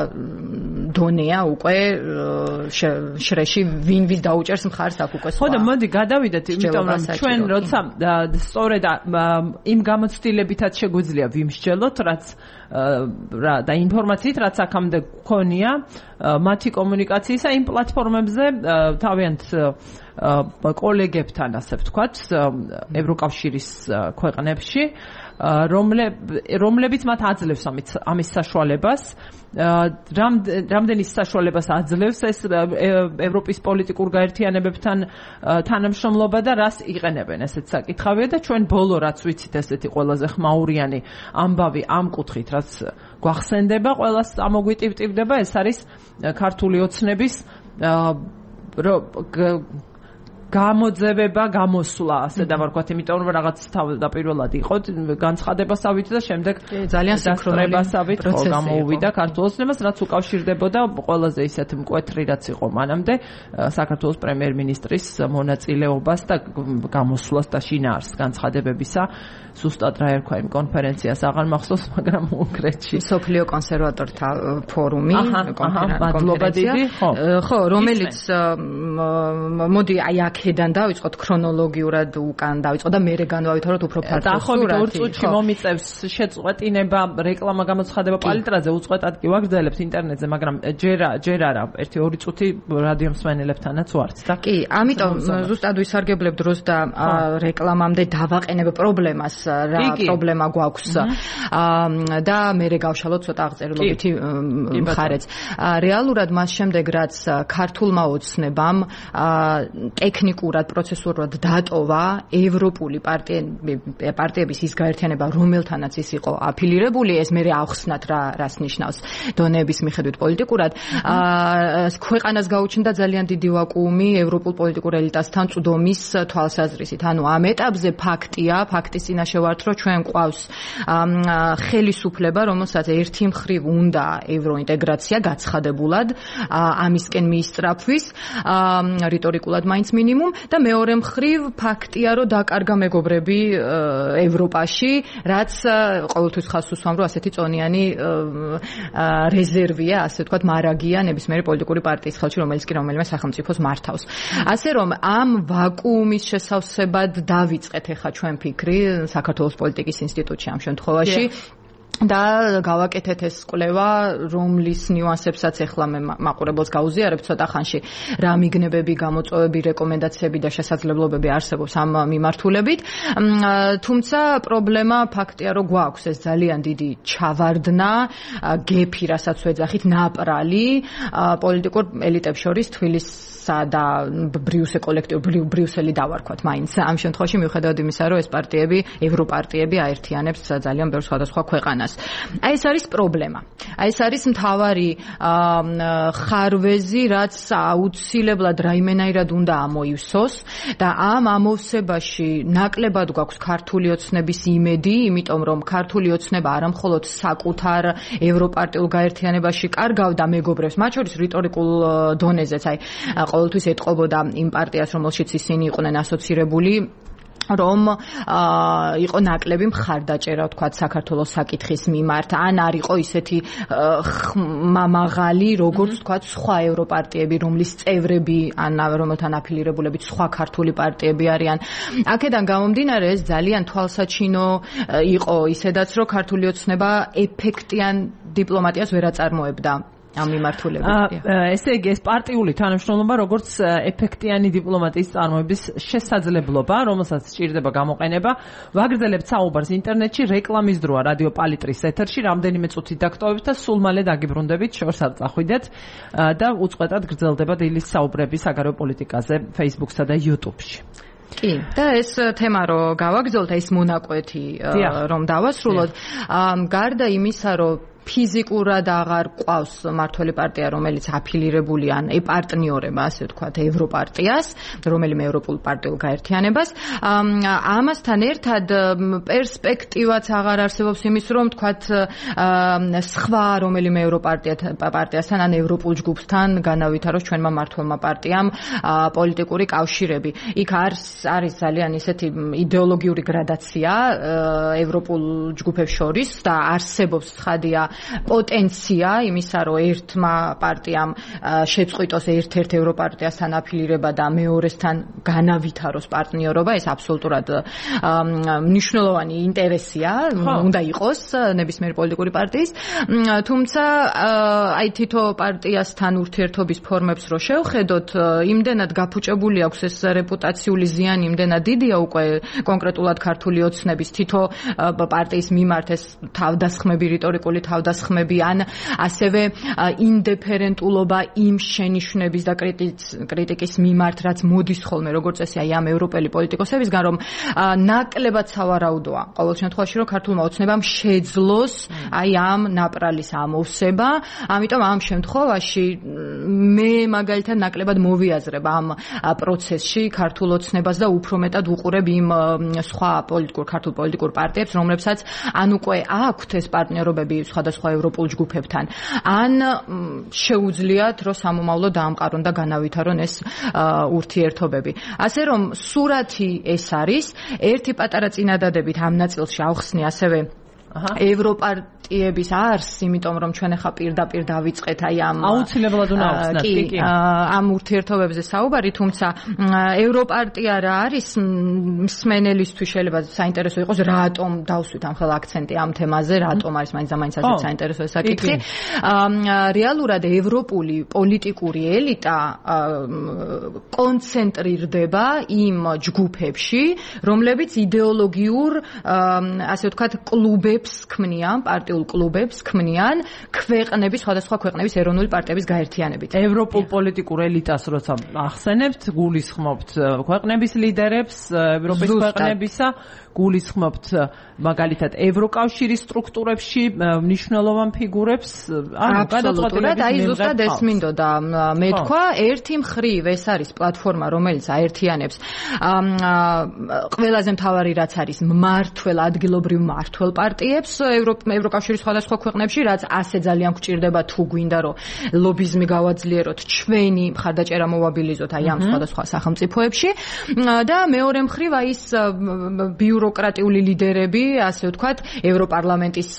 დონეა უკვე შრეში ვინ ვის დაუჭერს მხარს აქ უკვე სხვა.
ხო და მოდი გადავიდეთ, იმიტომ რომ ჩვენ როცა სწორედ იმ გამოცდილებითაც შეგვიძლია ვიმსჯელოთ, რაც და ინფორმაციით, რაც აქამდე გქონია მათი კომუნიკაციისა იმ პლატფორმებზე თავიანთ კოლეგებთან, ასე ვთქვათ, ევროკავშირის ქვეყნებში, რომლებიც მათ აძლევს ამის საშუალებას. რამდენის საშუალებას აძლევს ეს ევროპის პოლიტიკურ გაერთიანებებთან თანამშრომლობა და რას იყენებენ, ესეც საკითხავია და ჩვენ ბოლო რაც ვიცით ესეთი ყველაზე ხმაურიანი ამბავი ამ კუთხით, რაც გვახსენდება, ყველას ამოგვიტივტივდება, ეს არის ქართული ოცნების გამოძევება, გამოსვლა, ასე დავარქვათ, იმიტომ რომ რაღაც თავდაპირველად იყო განცხადებასავით და შემდეგ
ძალიან
სინქრონებასავით გამოუვიდა ქართულ ოცნებას, რაც უკავშირდებოდა ყველაზე ისეთ მკვეთრი, რაც იყო მანამდე საქართველოს პრემიერ-მინისტრის მონაწილეობას და გამოსვლას და შინაარსს განცხადებებისა. ზუსტად რა ერქვა იმ კონფერენციას აღარ მახსოვს, მაგრამ კონკრეტში
სოფლიო კონსერვატორთა ფორუმი,
კონფერენცია,
ხო, რომელიც მოდი აი აქედან დავიწყოთ ქრონოლოგიურად უკან დავიწყოთ და მერე განვავითაროთ უფრო ფართო სურათი.
დაახლოებით ორ წუთში მომიწევს შეწყვეტინება, რეკლამა, გამოცხადება პალიტრაზე, უწყვეტად კი ვაგრძელებთ ინტერნეტზე, მაგრამ ჯერ ჯერ არა, ერთი ორი წუთი რადიო მსმენელებთანაც ვართ და
კი, ამიტომ ზუსტად ვისარგებლებ დროს და რეკლამამდე დავაყენებ პრობლემას, რა პრობლემა გვაქვს და მერე გავშალოთ ცოტა აღწერილობითი მხარეც. რეალურად მას შემდეგ რაც ქართულმა ოცნებამ ტექნიკურად, პროცესუურად დატოვა ევროპული პარტიების ის გაერთიანება, რომელთანაც ის იყო აფილირებული, ეს მერე ახსნათ რა რას ნიშნავს დონეების მიხედვით პოლიტიკურად. ქვეყანას გაუჩნდა ძალიან დიდი ვაკუუმი ევროპულ პოლიტიკურ ელიტასთან წვდომის თვალსაზრისით. ანუ ამ ეტაპზე ფაქტია, ფაქტის წინაშე ვართ, რომ ჩვენ ყავს ხელისუფლება, რომელსაც ერთი მხრივ უნდა ევროინტეგრაცია გაცხადებულად ამისკენ მიისწრაფვის, რიტორიკულად მაინც მინიმუმ მაქსიმუმ და მეორე მხრივ ფაქტია, რომ დაკარგა მეგობრები ევროპაში, რაც ყოველთვის ხაზს უსვამ, რომ ასეთი წონიანი რეზერვია, ასე ვთქვათ, მარაგია ნებისმიერი პოლიტიკური პარტიის ხელში, რომელიც კი რომელიმე სახელმწიფოს მართავს. ასე რომ ამ ვაკუუმის შესავსებად დავიწყეთ ახლა ჩვენ ფიქრი საქართველოს პოლიტიკის ინსტიტუტში ამ შემთხვევაში. და გავაკეთეთ ეს კვლევა, რომლის ნიუანსებსაც ახლა მე მაყურებელს გაუზიარებ ცოტა ხანში, რა მიგნებები, გამოწვევები, რეკომენდაციები და შესაძლებლობები არსებობს ამ მიმართულებით. თუმცა პრობლემა ფაქტია, რომ გვაქვს ეს ძალიან დიდი ჩავარდნა, გეფი, რასაც ვეძახით, ნაპრალი პოლიტიკურ ელიტებს შორის თბილისსა და ბრიუსელ კოლექტივ ბრიუსელი დავარქვათ მაინც. ამ შემთხვევაში მიუხედავად იმისა, რომ ეს პარტიები, ევროპარტიები აერთიანებს ძალიან ბევრ სხვადასხვა ქვეყანას. აი ეს არის პრობლემა. აი ეს არის მთავარი ხარვეზი, რაც აუცილებლად რაიმენაირად უნდა ამოივსოს და ამ ამოვსებაში ნაკლებად გვაქვს ქართული ოცნების იმედი, იმიტომ რომ ქართული ოცნება არა მხოლოდ საკუთარ ევროპარტიულ გაერთიანებაში კარგავდა მეგობრებს, მათ შორის რიტორიკულ დონეზეც, აი ყოველთვის ეტყობოდა იმ პარტიას, რომელშიც ისინი იყვნენ ასოცირებული, რომ იყო ნაკლები მხარდაჭერა, ვთქვათ, საქართველოს საკითხის მიმართ, ან არ იყო ისეთი მაღალი, როგორც ვთქვათ, სხვა ევროპარტიები, რომლის წევრები, ან რომელთან აფილირებულებით სხვა ქართული პარტიები არიან. აქედან გამომდინარე, ეს ძალიან თვალსაჩინო იყო ისედაც, რომ ქართული ოცნება ეფექტიან დიპლომატიას ვერ აწარმოებდა. ამ მიმართულებით.
ესე იგი, ეს პარტიული თანამშრომლობა, როგორც ეფექტიანი დიპლომატიის წარმოების შესაძლებლობა, რომელსაც სჭირდება გამოყენება, ვაგრძელებთ საუბარს ინტერნეტში, რეკლამის დროა რადიო პალიტრის ეთერში, რამდენიმე წუთით დაგტოვებით და სულ მალე დაგიბრუნდებით, შორს არ წახვიდეთ და უწყვეტად გრძელდება დილის საუბრები საგარეო პოლიტიკაზე Facebook-სა და YouTube-ში.
კი, და ეს თემა რო გავაგრძელოთ, ეს მონაკვეთი რომ დავასრულოთ, გარდა იმისა, რომ ფიზიკურად აღარ ყავს მართველი პარტია, რომელიც აფილირებული ან ეპარტნიორება, ასე ვთქვათ, ევროპარტიას, რომელიმე ევროპულ პარტიულ გაერთიანებას. ამასთან ერთად პერსპექტივაც აღარ არსებობს იმის, რომ ვთქვათ, სხვა რომელიმე ევროპარტიასთან ან ევროპულ ჯგუფთან განავითაროს ჩვენმა მმართველმა პარტიამ პოლიტიკური კავშირები. იქ არის ძალიან ისეთი იდეოლოგიური გრადაცია ევროპულ ჯგუფებს შორის და არსებობს ცხადია პოტენცია იმისა, რომ ერთმა პარტიამ შეწყვიტოს ერთ-ერთ ევროპარტიასთან აფილირება და მეორესთან განავითაროს პარტნიორობა, ეს აბსოლუტურად მნიშვნელოვანი ინტერესია, უნდა იყოს ნებისმიერი პოლიტიკური პარტიის. თუმცა აი თითო პარტიასთან ურთიერთობის ფორმებს რო შევხედოთ, იმდენად გაფუჭებული აქვს ეს რეპუტაციული ზიანი, იმდენად დიდია უკვე კონკრეტულად ქართული ოცნების თითო პარტიის მიმართ ეს თავდასხმები, რიტორიკული თავდასხმები ან ასევე ინდიფერენტულობა იმ შენიშვნების და კრიტიკის მიმართ, რაც მოდის ხოლმე როგორც წესი აი ამ ევროპელი პოლიტიკოსებისგან, რომ ნაკლებად სავარაუდოა ყოველ შემთხვევაში, რომ ქართულმა ოცნებამ შეძლოს აი ამ ნაპრალის ამოვსება. ამიტომ ამ შემთხვევაში მე მაგალითად ნაკლებად მოვიაზრებ ამ პროცესში ქართულ ოცნებას და უფრო მეტად უყურებ იმ სხვა პოლიტიკურ ქართულ პოლიტიკურ პარტიებს, რომლებსაც ან უკვე აქვთ ეს პარტნიორობები სხვადასხვა ევროპულ ჯგუფებთან, ან შეუძლიათ, რომ სამომავლო დაამყარონ და განავითარონ ეს ურთიერთობები. ასე რომ სურათი ეს არის, ერთი პატარა წინადადებით ამ ნაწილში ავხსნი ასევე ევროპარტიების არს, იმიტომ რომ ჩვენ ახლა პირდაპირ დავიწყეთ აი ამ
აუცილებლად უნდა ავხსნათ, კი, კი.
ამ ურთიერთობებზე საუბარი, თუმცა ევროპარტია რა არის მსმენელისთვის შეიძლება საინტერესო იყოს, რატომ დავსვით ამ ხელ აქცენტი ამ თემაზე, რატომ არის მაინც და მაინც ასეთ საინტერესო საკითხი. რეალურად ევროპული პოლიტიკური ელიტა კონცენტრირდება იმ ჯგუფებში, რომლებიც იდეოლოგიურ, ასე ვთქვათ, კლუბებს ქმნიან, პარტიულ კლუბებს ქმნიან ქვეყნების, სხვადასხვა ქვეყნების ეროვნული პარტიების გაერთიანებით.
ევროპულ პოლიტიკურ ელიტას როცა ახსენებთ, გულისხმობთ ქვეყნების ლიდერებს, ევროპის ქვეყნებისა, გულისხმობთ მაგალითად ევროკავშირის სტრუქტურებში მნიშვნელოვან ფიგურებს,
ანუ გადაწყვეტილებით აი ზუსტად ეს მინდოდა მეთქვა, ერთი მხრივ ეს არის პლატფორმა, რომელიც აერთიანებს ყველაზე მთავარი რაც არის მმართველ, ადგილობრივ მმართველ პარტიას პარტიებს ევროკავშირის სხვადასხვა ქვეყნებში, რაც ასე ძალიან გვჭირდება თუ გვინდა რომ ლობიზმი გავაძლიეროთ, ჩვენი მხარდაჭერა მოვაბილიზოთ აი ამ სხვადასხვა სახელმწიფოებში და მეორე მხრივ აი ეს ბიუროკრატიული ლიდერები, ასე ვთქვათ, ევროპარლამენტის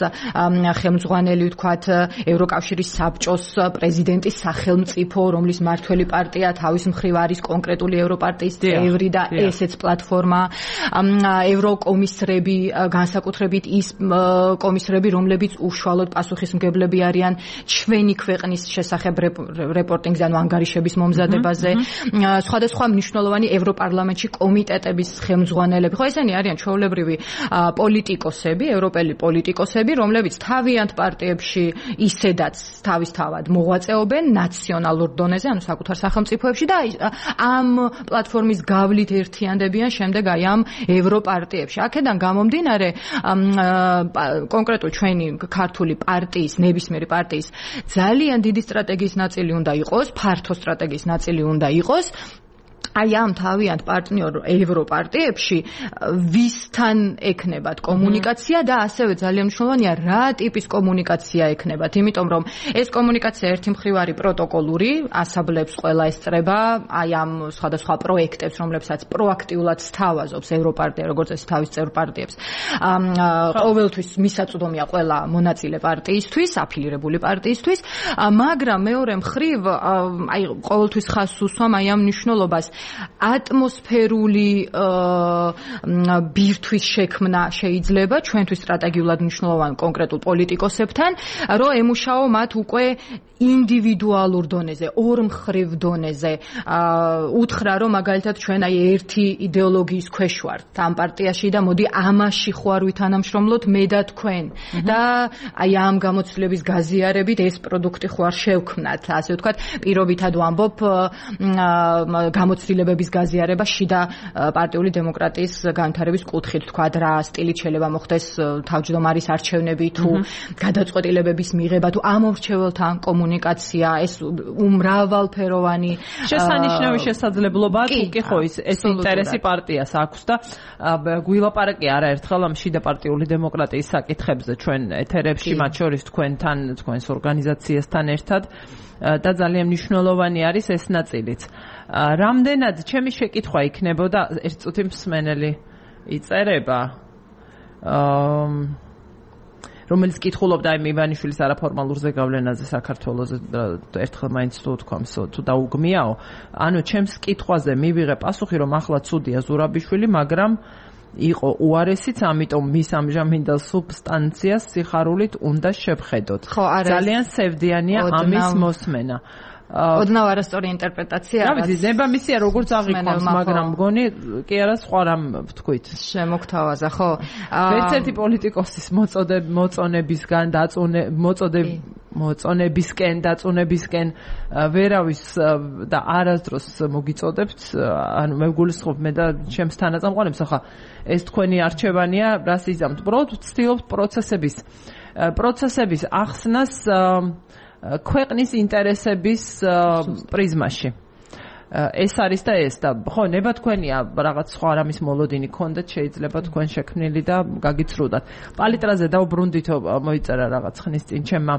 ხელმძღვანელი, ვთქვათ, ევროკავშირის საბჭოს პრეზიდენტის სახელმწიფო, რომლის მართველი პარტია თავის მხრივ არის კონკრეტული ევროპარტიის წევრი და ესეც პლატფორმა, ევროკომისრები, განსაკუთრებით ის კომისრები, რომლებიც უშუალოდ პასუხისმგებლები არიან ჩვენი ქვეყნის შესახებ რეპორტინგზე, ანუ ანგარიშების მომზადებაზე, სხვადასხვა მნიშვნელოვანი ევროპარლამენტში კომიტეტების ხელმძღვანელები. ხო, ესენი არიან ჩვეულებრივი პოლიტიკოსები, ევროპელი პოლიტიკოსები, რომლებიც თავიანთ პარტიებში ისედაც თავისთავად მოღვაწეობენ ნაციონალურ დონეზე, ანუ საკუთარ სახელმწიფოებში და ამ პლატფორმის გავლით ერთიანდებიან შემდეგ აი ამ ევროპარტიებში. აქედან გამომდინარე, კონკრეტულ ჩვენი ქართული პარტიის, ნებისმიერი პარტიის ძალიან დიდი სტრატეგიის ნაწილი უნდა იყოს, ფართო სტრატეგიის ნაწილი უნდა იყოს. აი ამ თავიანთ პარტნიორ ევროპარტიებში ვისთან ექნებათ კომუნიკაცია და ასევე ძალიან მნიშვნელოვანია რა ტიპის კომუნიკაცია ექნებათ, იმიტომ რომ ეს კომუნიკაცია ერთი მხრივ არის პროტოკოლური, ასაბლებს ყველა ესწრება აი ამ სხვადასხვა პროექტებს, რომლებსაც პროაქტიულად სთავაზობს ევროპარტია, როგორც ეს თავის წევრ პარტიებს. ყოველთვის მისაწვდომია ყველა მონაწილე პარტიისთვის, აფილირებული პარტიისთვის, მაგრამ მეორე მხრივ აი ყოველთვის ხაზს უსვამ აი ამ მნიშვნელობას ატმოსფერული ბირთვის შექმნა შეიძლება ჩვენთვის სტრატეგიულად მნიშვნელოვან კონკრეტულ პოლიტიკოსებთან, რომ ემუშაო მათ უკვე ინდივიდუალურ დონეზე, ორმხრივ დონეზე. უთხრა, რომ მაგალითად ჩვენ აი ერთი იდეოლოგიის ქვეშ ვართ ამ პარტიაში და მოდი ამაში ხوار ვითანამშრომლოთ მე და თქვენ და აი ამ გამოცდილების გაზიარებით ეს პროდუქტი ხوار შევქმნათ, ასე ვთქვათ, პირობითად ვამბობ გამოცდილებების გაზიარება შიდა პარტიული დემოკრატიის განვითარების კუთხით, ვთქვათ, რა სტილით შეიძლება მოხდეს თავმჯდომარის არჩევნები თუ გადაწყვეტილებების მიღება თუ ამორჩეველთან კომუნიკაცია, ეს უმრავალფეროვანი
შესანიშნავი შესაძლებლობაა, თუ კი ხო ის ეს ინტერესი პარტიას აქვს და გვილაპარაკე არაერთხელ ამ შიდა პარტიული დემოკრატიის საკითხებზე ჩვენ ეთერებში, მათ შორის თქვენთან, თქვენს ორგანიზაციასთან ერთად და ძალიან მნიშვნელოვანი არის ეს ნაწილიც. რამდენად ჩემი შეკითხვა იქნებოდა, ერთ წუთი მსმენელი იწერება, რომელიც კითხულობდა აი მივანიშვილის არაფორმალურ ზეგავლენაზე საქართველოს, ერთხელ მაინც თუ თქვამს თუ დაუგმიაო, ანუ ჩემს კითხვაზე მივიღე პასუხი, რომ ახლა ცუდია ზურაბიშვილი, მაგრამ იყო უარესიც, ამიტომ მის ამჟამინდელ სუბსტანციას სიხარულით უნდა შევხედოთ. ძალიან სევდიანია ამის მოსმენა.
ოდნავ არასწორი ინტერპრეტაცია.
რა ვიცი, ნებამისია როგორც აღიქვამს, მაგრამ მგონი კი არა სხვა რამ ვთქვით.
შემოგთავაზა, ხო?
ერთ ერთი პოლიტიკოსის მოწონებისგან დაწუნე მოწოდებ მოწონებისკენ დაწუნებისკენ ვერავის და არასდროს მოგიწოდებთ, ანუ მე ვგულისხმობ მე და ჩემს თანაწამყვანებს, ახლა ეს თქვენი არჩევანია, რას იზამთ? უბრალოდ ვცდილობთ პროცესების პროცესების ახსნას ქვეყნის ინტერესების პრიზმაში. ეს არის და ეს და ხო ნება თქვენია რაღაც სხვა რამის მოლოდინი გქონდათ, შეიძლება თქვენ შექმნილი და გაგიცრუდათ. პალიტრაზე დაუბრუნდითო მოიწერა რაღაც ხნის წინ ჩემმა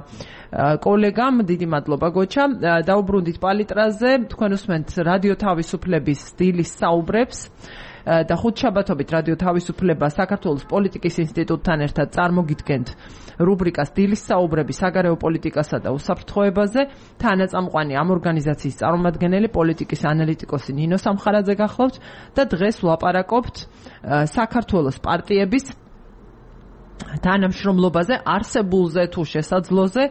კოლეგამ, დიდი მადლობა გოჩა. დაუბრუნდით პალიტრაზე, თქვენ უსმენთ რადიო თავისუფლების დილის საუბრებს და ხუთშაბათობით რადიო თავისუფლება საქართველოს პოლიტიკის ინსტიტუტთან ერთად წარმოგიდგენთ რუბრიკას დილის საუბრები საგარეო პოლიტიკასა და უსაფრთხოებაზე. თანაწამყვანი ამ ორგანიზაციის წარმომადგენელი პოლიტიკის ანალიტიკოსი ნინო სამხარაძე გახლავთ და დღეს ვლაპარაკობთ საქართველოს პარტიების თანამშრომლობაზე, არსებულზე თუ შესაძლოზე,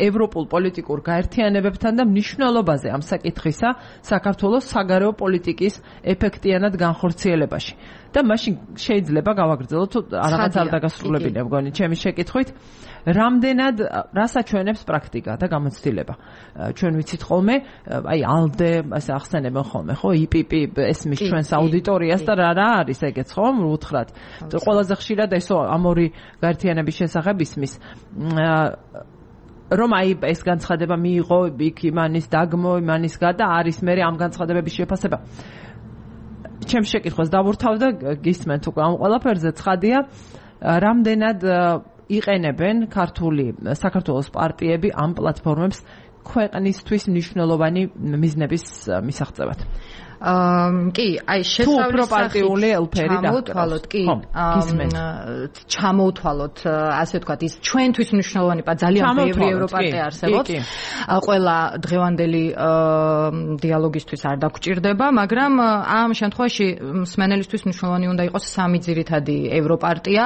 ევროპულ პოლიტიკურ გაერთიანებებთან და მნიშვნელობაზე ამ საკითხისა საქართველოს საგარეო პოლიტიკის ეფექტიანად განხორციელებაში. და მაშინ შეიძლება გავაგრძელოთ რაღაც არ დაგასრულებინე მგონი ჩემი შეკითხვით, რამდენად რასაჩვენებს პრაქტიკა და გამოცდილება. ჩვენ ვიცით ხოლმე, აი ალდე, ასე ახსენებენ ხოლმე, ხო, იპიპი ესმის ჩვენს აუდიტორიას და რა რა არის ეგეც, ხო, უთხრათ. ყველაზე ხშირად ესო ამ ორი გაერთიანების შესახებ ისმის. რომ აი ეს განცხადება მიიღო იქ იმანის დაგმო, იმანის გადა არის მე ამ განცხადებების შეფასება. ჩემს შეკითხვას დავურთავ და გისმენთ უკვე ამ ყველაფერზე. ცხადია, რამდენად იყენებენ ქართული საქართველოს პარტიები ამ პლატფორმებს ქვეყნისთვის მნიშვნელოვანი მიზნების მისაღწევად.
აა კი, აი შესავლის
პროპარტიული ელფერი
ჩამოთვალოთ, კი, ჩამოთვალოთ, ასე ვთქვათ, ის ჩვენთვის მნიშვნელოვანი პარტია, ძალიან ბევრი ევროპარტია არსებობს. ყველა დღევანდელი დიალოგისთვის არ დაგჭირდება, მაგრამ ამ შემთხვევაში მსმენელისთვის მნიშვნელოვანი უნდა იყოს სამი ძირითადი ევროპარტია,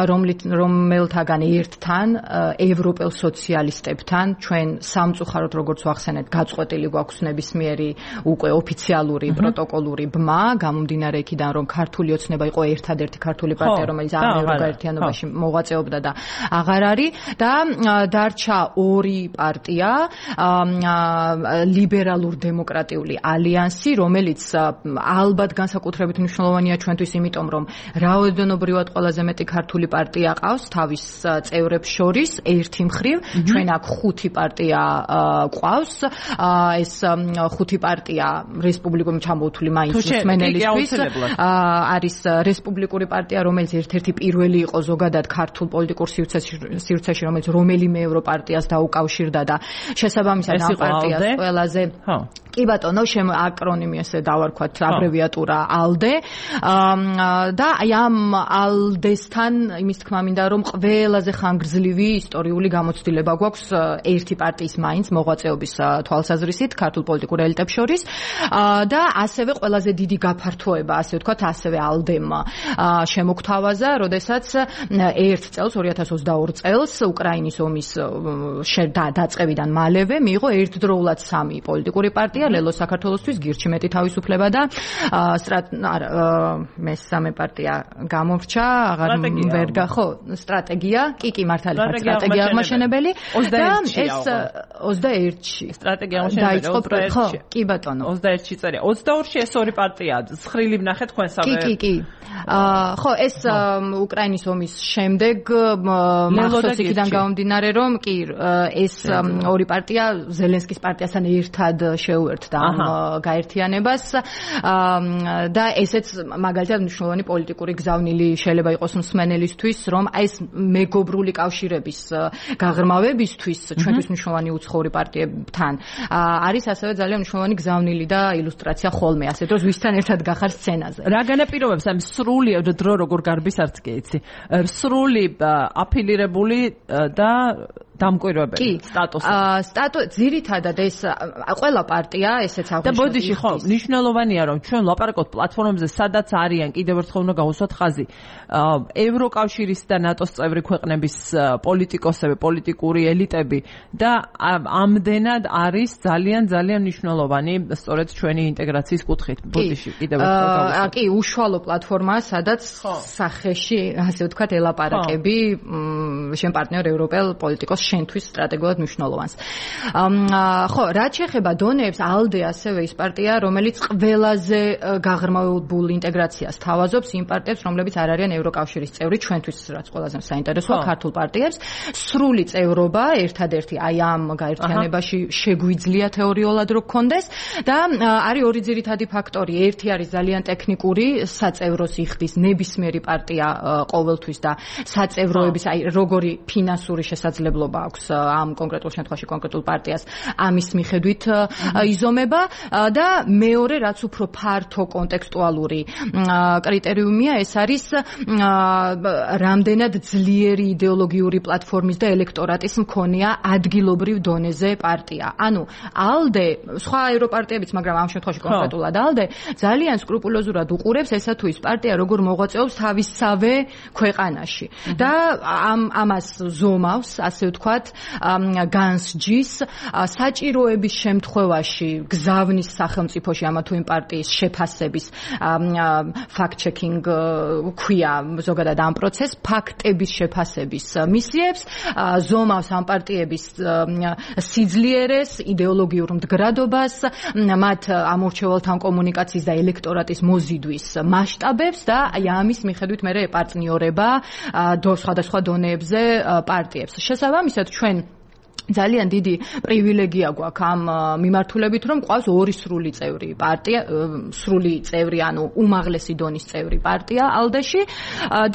რომელთაგან ერთთან, ევროპელ სოციალისტებთან, ჩვენ სამწუხაროდ როგორც ვახსენეთ, გაწყვეტილი გვაქვს ნებისმიერი უკვე ოფიციალური პროტოკოლური ბმა, გამომდინარე იქიდან, რომ ქართული ოცნება იყო ერთადერთი ქართული პარტია, რომელიც ამ ევროგაერთიანობაში მოღვაწეობდა და აღარ არის და დარჩა ორი პარტია, ლიბერალურ-დემოკრატიული ალიანსი, რომელიც ალბათ განსაკუთრებით მნიშვნელოვანია ჩვენთვის, იმიტომ რომ რაოდენობრივად ყველაზე მეტი ქართული პარტია ყავს თავის წევრებს შორის, ერთი მხრივ, ჩვენ აქ ხუთი პარტია ყავს, ეს ხუთი პარტია რესპუბლიკური ჩამოთვლილი მაინც მსმენელისთვის არის რესპუბლიკური პარტია, რომელიც ერთ-ერთი პირველი იყო ზოგადად ქართულ პოლიტიკურ სივრცეში, რომელიც რომელიმე ევროპარტიას დაუკავშირდა და შესაბამისად ამ პარტიას ყველაზე კი ბატონო, შემ აკრონიმი ესე დავარქვათ, აბრევიატურა ალდე და აი ამ ალდესთან იმის თქმა მინდა, რომ ყველაზე ხანგრძლივი ისტორიული გამოცდილება გვაქვს ერთი პარტიის მაინც მოღვაწეობის თვალსაზრისით ქართულ პოლიტიკურ ელიტებს შორის და ასევე ყველაზე დიდი გაფართოება, ასე ვთქვათ, ასევე ალდემ შემოგთავაზა, როდესაც ერთ წელს, ორი ათას ოცდაორი წელს უკრაინის ომის დაწყებიდან მალევე მიიღო ერთდროულად სამი პოლიტიკური პარტია, ლელო საქართველოსთვის, გირჩი მეტი თავისუფლება და მესამე პარტია გამორჩა, აღარ ვერ გახო, სტრატეგია, კი კი მართალი ხარ, სტრატეგია აღმაშენებელი და ეს ოცდაერთში
სტრატეგია აღმაშენებელი,
ხო, კი ბატონო,
ოცდაერთში წერია. ოცდაორში ეს ორი პარტია, ცხრილი ვნახეთ თქვენსავე.
კი, კი, კი. ხო, ეს უკრაინის ომის შემდეგ მახსოვს იქიდან გამომდინარე, რომ კი, ეს ორი პარტია ზელენსკის პარტიასთან ერთად შეუერთდა ამ გაერთიანებას და ესეც მაგალითად მნიშვნელოვანი პოლიტიკური გზავნილი შეიძლება იყოს მსმენელისთვის, რომ აი ეს მეგობრული კავშირების გაღრმავებისთვის ჩვენთვის მნიშვნელოვანი უცხოური პარტიებთან არის ასევე ძალიან მნიშვნელოვანი გზავნილი და ილუსტრაცია ხოლმე, ასე რომ ვისთან ერთად გახარ სცენაზე.
რა განაპირობებს ამ სრული დრო როგორ გარბის არც კი იცი. სრული აფილირებული და დამკვირვებელი სტატუსი.
აა სტატუ ძირითადად ეს ყველა პარტია ესეც აღნიშნავს.
და ბოდიში ხო, მნიშვნელოვანია რომ ჩვენ ლაპარაკობთ პლატფორმებზე, სადაც არიან, კიდევ ერთხელ უნდა გავუსვათ ხაზი. ევროკავშირის და ნატოს წევრი ქვეყნების პოლიტიკოსები, პოლიტიკური ელიტები და ამდენად არის ძალიან ძალიან მნიშვნელოვანი სწორედ ჩვენი ინტეგრაციის კუთხით. ბოდიში კიდევ ერთხელ გავუსვათ.
კი, უშუალო პლატფორმაა, სადაც სახეში, ასე ვთქვათ, ელაპარაკები შენ პარტნიორ ევროპელ პოლიტიკოს შენთვის სტრატეგიულად მნიშვნელოვანს. ხო, რაც შეეხება დონეებს, ალდე ასევე ის პარტია, რომელიც ყველაზე გაღრმავებულ ინტეგრაციას თავაზობს იმ პარტიებს, რომლებიც არ არიან ევროკავშირის წევრი, ჩვენთვის რაც ყველაზე საინტერესოა ქართულ პარტიებს. სრული წევრობა ერთადერთი აი ამ გაერთიანებაში შეგვიძლია თეორიულად რო გქონდეს და არის ორი ძირითადი ფაქტორი. ერთი არის ძალიან ტექნიკური, საწევროს იხდის ნებისმიერი პარტია ყოველთვის და საწევროების აი როგორი ფინანსური შესაძლებლობა აქვს ამ კონკრეტულ შემთხვევაში კონკრეტულ პარტიას ამის მიხედვით იზომება და მეორე რაც უფრო ფართო კონტექსტუალური კრიტერიუმია ეს არის რამდენად ძლიერი იდეოლოგიური პლატფორმის და ელექტორატის მქონეა ადგილობრივ დონეზე პარტია. ანუ ალდე, სხვა ევროპარტიებიც, მაგრამ ამ შემთხვევაში კონკრეტულად ალდე ძალიან სკრუპულოზურად უყურებს ესა თუ ის პარტია როგორ მოღვაწეობს თავისსავე ქვეყანაში და ამ ამას ზომავს, ასე ვთქვათ, განსჯის საჭიროების შემთხვევაში გზავნის სახელმწიფოში ამა თუ იმ პარტიის შეფასების fact-checking ქვია ზოგადად ამ პროცესს, ფაქტების შეფასების მისიებს, ზომავს ამ პარტიების სიძლიერეს, იდეოლოგიურ მდგრადობას, მათ ამორჩევალთან კომუნიკაციის და ელექტორატის მოზიდვის მასშტაბებს და აი ამის მიხედვით მე ეპარტნიორება სხვადასხვა დონეებზე პარტიებს. შესაბამისად ჩვენ ძალიან დიდი პრივილეგია გვაქვს ამ მიმართულებით, რომ ყავს ორი სრული წევრი პარტია, სრული წევრი, ანუ უმაღლესი დონის წევრი პარტია ალდეში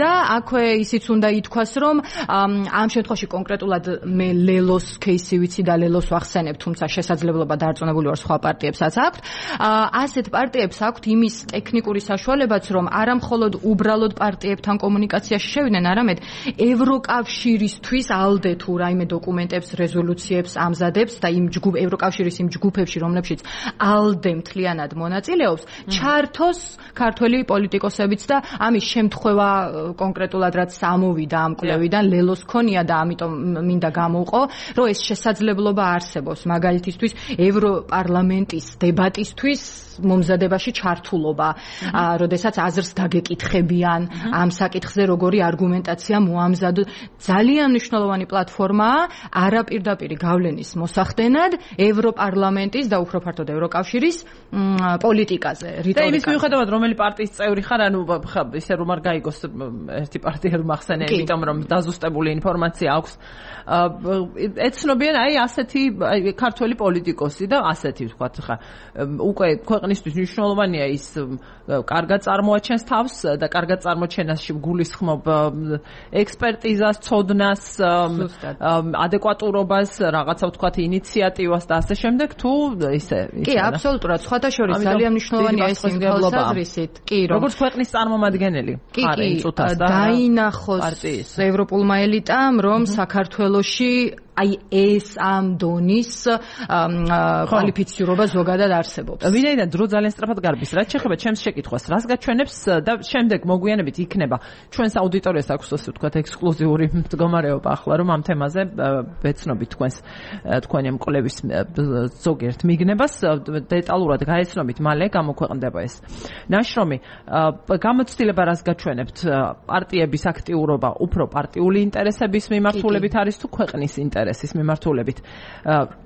და აქვე ისიც უნდა ითქვას, რომ ამ შემთხვევაში კონკრეტულად მე ლელოს кейსი ვიცი და ლელოს ვახსენებ, თუმცა შესაძლებლობა დარწმუნებული ვარ სხვა პარტიებსაც აქვთ. ასეთ პარტიებს აქვთ იმის ტექნიკური საშუალებაც, რომ არა მხოლოდ უბრალოდ პარტიებთან კომუნიკაციაში შევიდნენ, არამედ ევროკავშირისთვის ალდე თუ რაიმე დოკუმენტებს რეზოლუციებს ამზადებს და იმ ჯგუფ ევროკავშირის იმ ჯგუფებში, რომლებშიც ალდე მთლიანად მონაწილეობს, ჩართოს ქართველი პოლიტიკოსებიც და ამის შემთხვევა კონკრეტულად რაც ამოვიდა ამ კვლევიდან ლელოს ქონია და ამიტომ მინდა გამოვყო, რომ ეს შესაძლებლობა არსებობს მაგალითისთვის ევროპარლამენტის დებატისთვის მომზადებაში ჩართულობა, როდესაც აზრს დაგეკითხებიან ამ საკითხზე როგორი არგუმენტაცია მოამზადოთ. ძალიან მნიშვნელოვანი პლატფორმაა არაპირდაპირი გავლენის მოსახდენად ევროპარლამენტის და უფრო ფართოდ ევროკავშირის პოლიტიკაზე, რიტორიკაზე.
და იმის მიუხედავად, რომელი პარტიის წევრი ხარ, ანუ ისე რომ არ გაიგოს ერთი პარტია რომ ახსენე, იმიტომ რომ დაზუსტებული ინფორმაცია აქვს. ეცნობიან აი ასეთი ქართველი პოლიტიკოსი და ასეთი ვთქვათ ხა უკვე ქვეყნისთვის მნიშვნელოვანია ის კარგად წარმოაჩენს თავს და კარგად წარმოჩენაში გულისხმობ ექსპერტიზას, ცოდნას, ადეკვატურობას, რაღაცა ვთქვათ ინიციატივას და ასე შემდეგ თუ ისე
კი, აბსოლუტურად, სხვათა შორის ძალიან მნიშვნელოვანია ეს იმ თვალსაზრისით, კი, რომ
როგორც ქვეყნის წარმომადგენელი ხარ იმ წუთას და
დაინახოს ევროპულმა ელიტამ, რომ საქართველოში აი ეს ამ დონის კვალიფიცირება ზოგადად არსებობს.
ვინაიდან დრო ძალიან სწრაფად გარბის, რაც შეეხება ჩემს შეკითხვას, რას გაჩვენებს და შემდეგ მოგვიანებით იქნება ჩვენს აუდიტორიას აქვს ასე ვთქვათ ექსკლუზიური მდგომარეობა ახლა რომ ამ თემაზე ვეცნობით თქვენს თქვენი მკვლევის ზოგიერთ მიგნებას დეტალურად გაეცნობით, მალე გამოქვეყნდება ეს ნაშრომი. გამოცდილება რას გაჩვენებთ? პარტიების აქტიურობა უფრო პარტიული ინტერესების მიმართულებით არის თუ ქვეყნის ინტერესების ეს მიმართულებით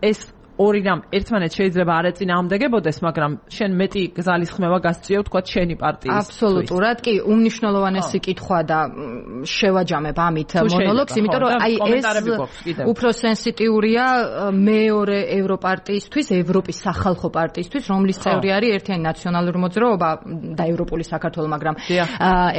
ეს ორი რამ ერთმანეთს შეიძლება არ ეწინააღმდეგებოდეს, მაგრამ შენ მეტი გზალისხმევა გასწიო თქვათ შენი პარტიის.
აბსოლუტურად, კი, უმნიშვნელოვანესი კითხვა და შევაჯამებ ამით მონოლოგს, იმიტომ რომ აი ეს უფრო სენსიტიურია მეორე ევროპარტიისთვის, ევროპის სახალხო პარტიისთვის, რომლის წევრი არის ერთიანი ნაციონალური მოძრაობა და ევროპული საქართველო, მაგრამ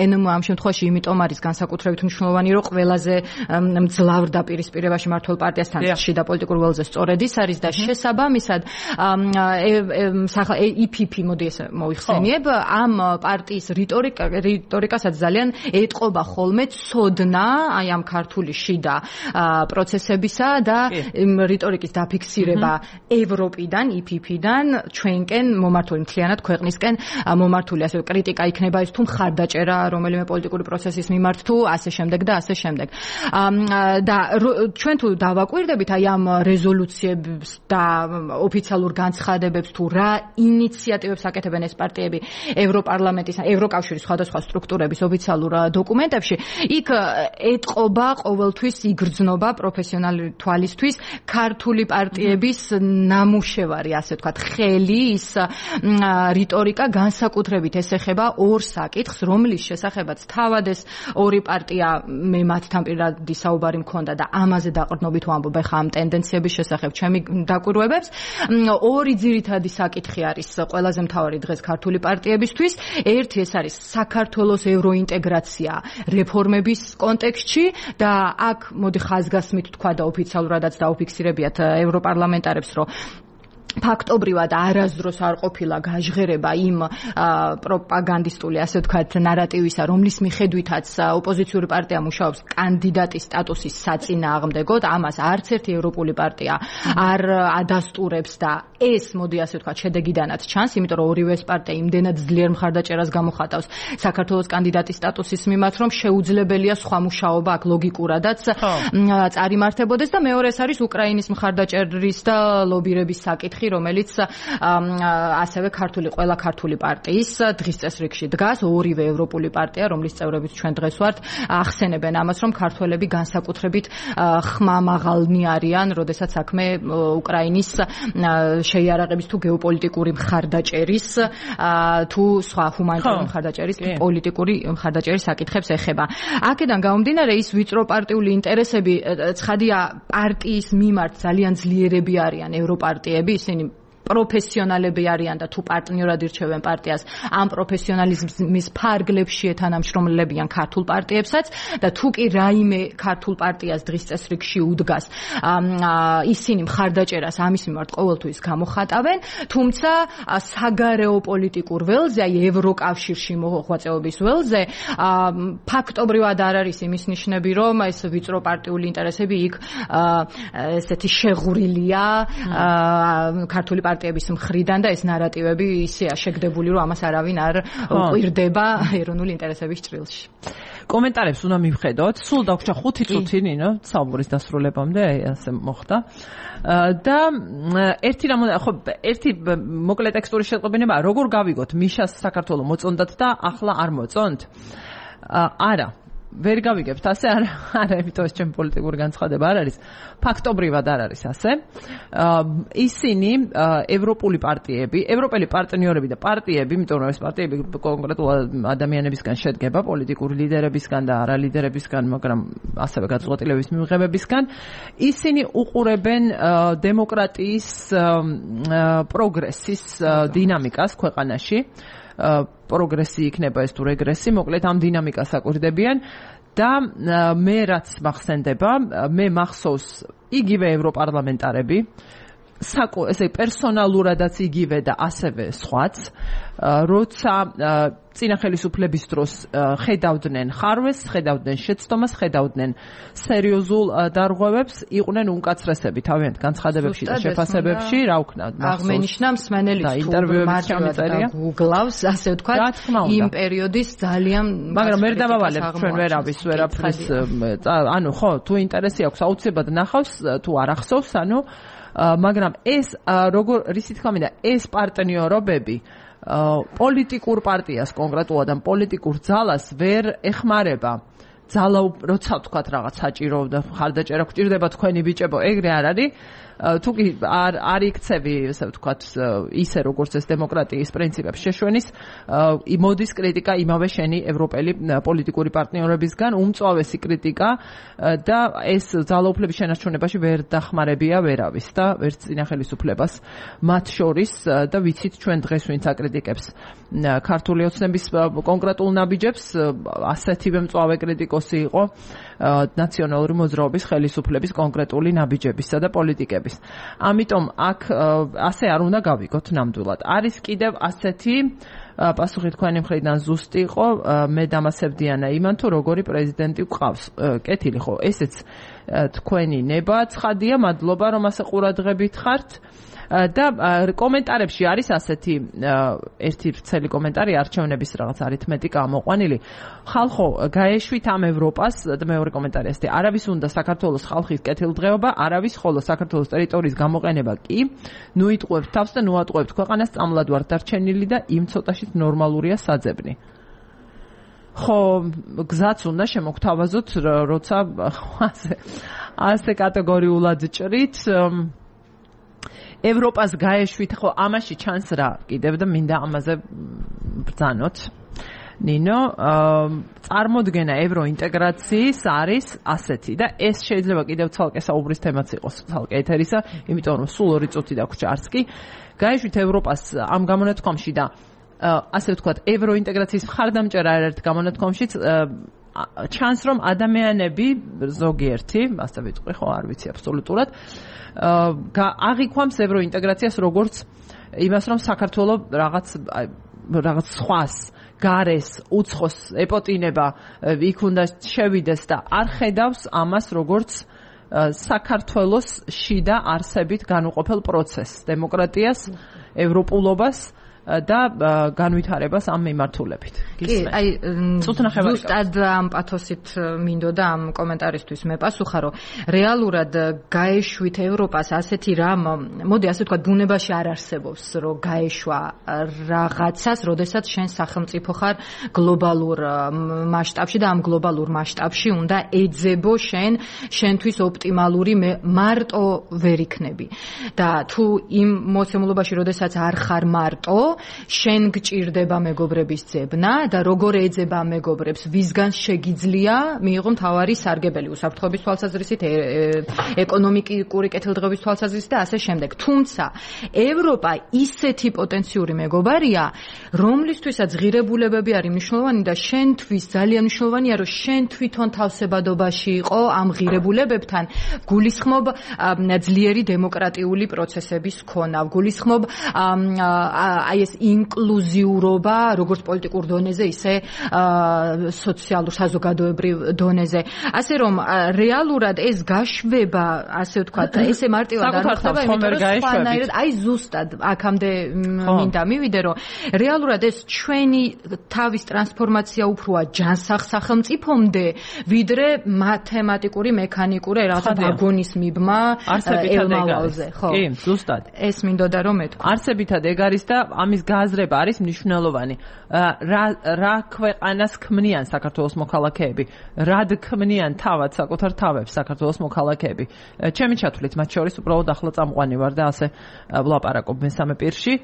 ენმ ამ შემთხვევაში იმიტომ არის განსაკუთრებით მნიშვნელოვანი, რომ ყველაზე მძლავრ დაპირისპირებაში მართულ პარტიასთან შიდა პოლიტიკურ ველზე სწორედ ის არის და შესაბამისად ი პი პი მოდი ესე მოიხსენიებ ამ პარტიის რიტორიკა რიტორიკასაც ძალიან ეტყობა ხოლმე ცოდნა აი ამ ქართული შიდა პროცესებისა და რიტორიკის დაფიქსირება ევროპიდან ი პი პი-დან ჩვენკენ მომართული მთლიანად ქვეყნისკენ მომართული ასე კრიტიკა იქნება ის თუ მხარდაჭერა რომელიმე პოლიტიკური პროცესის მიმართ თუ ასე შემდეგ და ასე შემდეგ და ჩვენ თუ დავაკვირდებით აი ამ რეზოლუციებს და ოფიციალურ განცხადებებს თუ რა ინიციატივებს აკეთებენ ეს პარტიები ევროპარლამენტის, ევროკავშირის სხვადასხვა სტრუქტურების ოფიციალურ დოკუმენტებში, იქ ეტყობა ყოველთვის იგრძნობა პროფესიონალი თვალისთვის ქართული პარტიების ნამუშევარი, ასე ვთქვათ, ხელი, ის რიტორიკა განსაკუთრებით ეს ეხება ორ საკითხს, რომლის შესახებაც თავად ეს ორი პარტია მე მათთან პირადი საუბარი მქონდა და ამაზე დაყრდნობით ვამბობ ახლა ამ ტენდენციების შესახებ ჩემი დაკვირვებებს. ორი ძირითადი საკითხი არის ყველაზე მთავარი დღეს ქართული პარტიებისთვის. ერთი ეს არის საქართველოს ევროინტეგრაცია რეფორმების კონტექსტში და აქ მოდი ხაზგასმით თქვა და ოფიციალურადაც დაუფიქსირებიათ ევროპარლამენტარებს, რომ ფაქტობრივად არასდროს არ ყოფილა გაჟღერება იმ პროპაგანდისტული, ასე ვთქვათ, ნარატივისა, რომლის მიხედვითაც ოპოზიციური პარტია მუშაობს კანდიდატის სტატუსის საწინააღმდეგოდ, ამას არც ერთი ევროპული პარტია არ ადასტურებს და ეს, მოდი ასე ვთქვათ, შედეგიდანაც ჩანს, იმიტომ რომ ორივე ეს პარტია იმდენად ძლიერ მხარდაჭერას გამოხატავს საქართველოს კანდიდატის სტატუსის მიმართ, რომ შეუძლებელია სხვა მუშაობა აქ ლოგიკურადაც წარიმართებოდეს და მეორე ეს არის უკრაინის მხარდაჭერის და ლობირების საკითხი, ოთხი, რომელიც ასევე ქართული ყველა ქართული პარტიის დღის წესრიგში დგას, ორივე ევროპული პარტია, რომლის წევრებიც ჩვენ დღეს ვართ, ახსენებენ ამას, რომ ქართველები განსაკუთრებით ხმამაღალნი არიან, როდესაც საქმე უკრაინის შეიარაღების თუ გეოპოლიტიკური მხარდაჭერის თუ სხვა ჰუმანიტარული მხარდაჭერის თუ პოლიტიკური მხარდაჭერის საკითხებს ეხება. აქედან გამომდინარე, ის ვიწრო პარტიული ინტერესები ცხადია პარტიის მიმართ ძალიან ძლიერები არიან ევროპარტიები, ისინი პროფესიონალები არიან და თუ პარტნიორად ირჩევენ პარტიას, ამ პროფესიონალიზმის ფარგლებში ეთანამშრომლებიან ქართულ პარტიებსაც და თუ კი რაიმე ქართულ პარტიას დღის წესრიგში უდგას, ისინი მხარდაჭერას ამის მიმართ ყოველთვის გამოხატავენ, თუმცა საგარეო პოლიტიკურ ველზე, აი ევროკავშირში მოღვაწეობის ველზე, ფაქტობრივად არ არის იმის ნიშნები, რომ ეს ვიწრო პარტიული ინტერესები იქ ესეთი შეღურილია ქართული პარტიების მხრიდან და ეს ნარატივები ისეა შეგდებული, რომ ამას არავინ არ უყვირდება ეროვნული ინტერესების ჭრილში.
კომენტარებს უნდა მივხედოთ. სულ დაგვრჩა ხუთი წუთი, ნინო, საუბრის დასრულებამდე, აი ასე მოხდა. და ერთი რამ ხო ერთი მოკლე ტექსტური შეწყობინება, როგორ გავიგოთ მიშას საქართველოს მოწონდათ და ახლა არ მოწონთ? არა. ვერ გავიგებთ ასე, არა, არა, იმიტომ ეს ჩემი პოლიტიკური განცხადება არ არის. ფაქტობრივად არ არის ასე. ისინი ევროპული პარტიები, ევროპელი პარტნიორები და პარტიები, იმიტომ რომ ეს პარტიები კონკრეტულად ადამიანებისგან შედგება, პოლიტიკური ლიდერებისგან და არალიდერებისგან, მაგრამ ასევე გადაწყვეტილების მიღებებისგან, ისინი უყურებენ დემოკრატიის პროგრესის დინამიკას ქვეყანაში. პროგრესი იქნება ეს თუ რეგრესი, მოკლედ ამ დინამიკას აკვირდებიან და მე რაც მახსენდება, მე მახსოვს იგივე ევროპარლამენტარები, საკო ესე პერსონალურადაც იგივე და ასევე სხვაც, როცა წინა ხელისუფლების დროს ხედავდნენ ხარვეს, ხედავდნენ შეცდომას, ხედავდნენ სერიოზულ დარღვევებს, იყვნენ უმკაცრესები თავიანთ განცხადებებში და შეფასებებში, რა ვქნა,
აღმენიშნა მსმენელიც
ინტერვიუებში
გუგლავს, ასე ვთქვათ, იმ პერიოდის ძალიან
მაგრამ ვერ დავავალებ ჩვენ ვერავის ვერაფრის, ანუ ხო, თუ ინტერესი აქვს, აუცილებლად ნახავს, თუ არ ახსოვს, ანუ მაგრამ ეს როგორ რისი თქმა მინდა, ეს პარტნიორობები პოლიტიკურ პარტიას კონკრეტულად ამ პოლიტიკურ ძალას ვერ ეხმარება. ძალა როცა ვთქვათ რაღაც საჭირო და ხარდაჭერა გვჭირდება თქვენი ბიჭებო, ეგრე არ არის. თუ კი არ არ იქცევი, ასე ვთქვათ, ისე როგორც ეს დემოკრატიის პრინციპებს შეშვენის, მოდის კრიტიკა იმავე შენი ევროპელი პოლიტიკური პარტნიორებისგან, უმწვავესი კრიტიკა და ეს ძალაუფლების შენარჩუნებაში ვერ დახმარებია ვერავის და ვერც წინა ხელისუფლებას მათ შორის და ვიცით ჩვენ დღეს ვინც აკრიტიკებს ქართული ოცნების კონკრეტულ ნაბიჯებს, ასეთივე მწვავე კრიტიკოსი იყო ნაციონალური მოძრაობის ხელისუფლების კონკრეტული ნაბიჯებისა და პოლიტიკების. ამიტომ აქ ასე არ უნდა გავიგოთ ნამდვილად. არის კიდევ ასეთი პასუხი თქვენი მხრიდან ზუსტი იყო, მე დამასებდიანა იმან თუ როგორი პრეზიდენტი გვყავს. კეთილი ხო, ესეც თქვენი ნება ცხადია, მადლობა რომ ასე ყურადღებით ხართ. და კომენტარებში არის ასეთი ერთი ვრცელი კომენტარი არჩევნების რაღაც არითმეტიკა ამოყვანილი. ხალხო, გაეშვით ამ ევროპას და მეორე კომენტარი ასეთი, არავის უნდა საქართველოს ხალხის კეთილდღეობა, არავის, ხოლო საქართველოს ტერიტორიის გამოყენება კი, ნუ იტყუებთ თავს და ნუ ატყუებთ ქვეყანას, წამლად ვართ დარჩენილი და იმ ცოტაშიც ნორმალურია საძებნი. ხო, გზაც უნდა შემოგთავაზოთ, როცა ასე ასე კატეგორიულად ჭრით ევროპას გაეშვით, ხო, ამაში ჩანს რა კიდევ და მინდა ამაზე ბრძანოთ. ნინო, წარმოდგენა ევროინტეგრაციის არის ასეთი და ეს შეიძლება კიდევ ცალკე საუბრის თემაც იყოს, ცალკე ეთერისა, იმიტომ რომ სულ ორი წუთი დაგვრჩა არც კი. გაეშვით ევროპას ამ გამონათქვამში და ასე ვთქვათ, ევროინტეგრაციის მხარდამჭერა ერთ გამონათქვამშიც ჩანს რომ ადამიანები ზოგიერთი, ასე ვიტყვი, ხო, არ ვიცი აბსოლუტურად, აღიქვამს ევროინტეგრაციას როგორც იმას, რომ საქართველოს რაღაც რაღაც სხვას, გარეს, უცხოს ეპოტინება იქ უნდა შევიდეს და არ ხედავს ამას როგორც საქართველოს შიდა არსებით განუყოფელ პროცესს, დემოკრატიას, ევროპულობას და განვითარებას ამ მიმართულებით.
კი, აი ზუსტად ამ პათოსით მინდოდა ამ კომენტარისთვის მე პასუხა, რომ რეალურად გაეშვით ევროპას ასეთი რამ, მოდი ასე ვთქვათ, ბუნებაში არ არსებობს, რომ გაეშვა რაღაცას, როდესაც შენ სახელმწიფო ხარ გლობალურ მასშტაბში და ამ გლობალურ მასშტაბში უნდა ეძებო შენ შენთვის ოპტიმალური მარტო ვერ იქნები. და თუ იმ მოცემულობაში, როდესაც არ ხარ მარტო, შენ გჭირდება მეგობრების ძებნა და როგორ ეძება მეგობრებს, ვისგან შეგიძლია მიიღო მთავარი სარგებელი უსაფრთხოების თვალსაზრისით, ეკონომიკური კეთილდღეობის თვალსაზრისით და ასე შემდეგ. თუმცა ევროპა ისეთი პოტენციური მეგობარია, რომლისთვისაც ღირებულებები არის მნიშვნელოვანი და შენთვის ძალიან მნიშვნელოვანია, რომ შენ თვითონ თავსებადობაში იყო ამ ღირებულებებთან, გულისხმობ ძლიერი დემოკრატიული პროცესების ქონა, გულისხმობ აი ეს ინკლუზიურობა, როგორც პოლიტიკურ დონეზე, ისე სოციალურ საზოგადოებრივ დონეზე. ასე რომ რეალურად ეს გაშვება, ასე ვთქვათ, ესე მარტივად არ ხდება, იმიტომ რომ სხვანაირად, აი ზუსტად აქამდე მინდა მივიდე, რომ რეალურად ეს ჩვენი თავის ტრანსფორმაცია უფროა ჯანსაღ სახელმწიფომდე, ვიდრე მათემატიკური, მექანიკური რაღაცა ვაგონის მიბმა ელმალალზე, ხო?
კი, ზუსტად.
ეს მინდოდა რომ მეთქვა.
არსებითად ეგ არის და ამის გააზრება არის მნიშვნელოვანი. რა რა ქვეყანას ქმნიან საქართველოს მოქალაქეები? რად ქმნიან თავად საკუთარ თავებს საქართველოს მოქალაქეები? ჩემი ჩათვლით მათ შორის უბრალოდ ახლა წამყვანი ვარ და ასე ვლაპარაკობ მესამე პირში.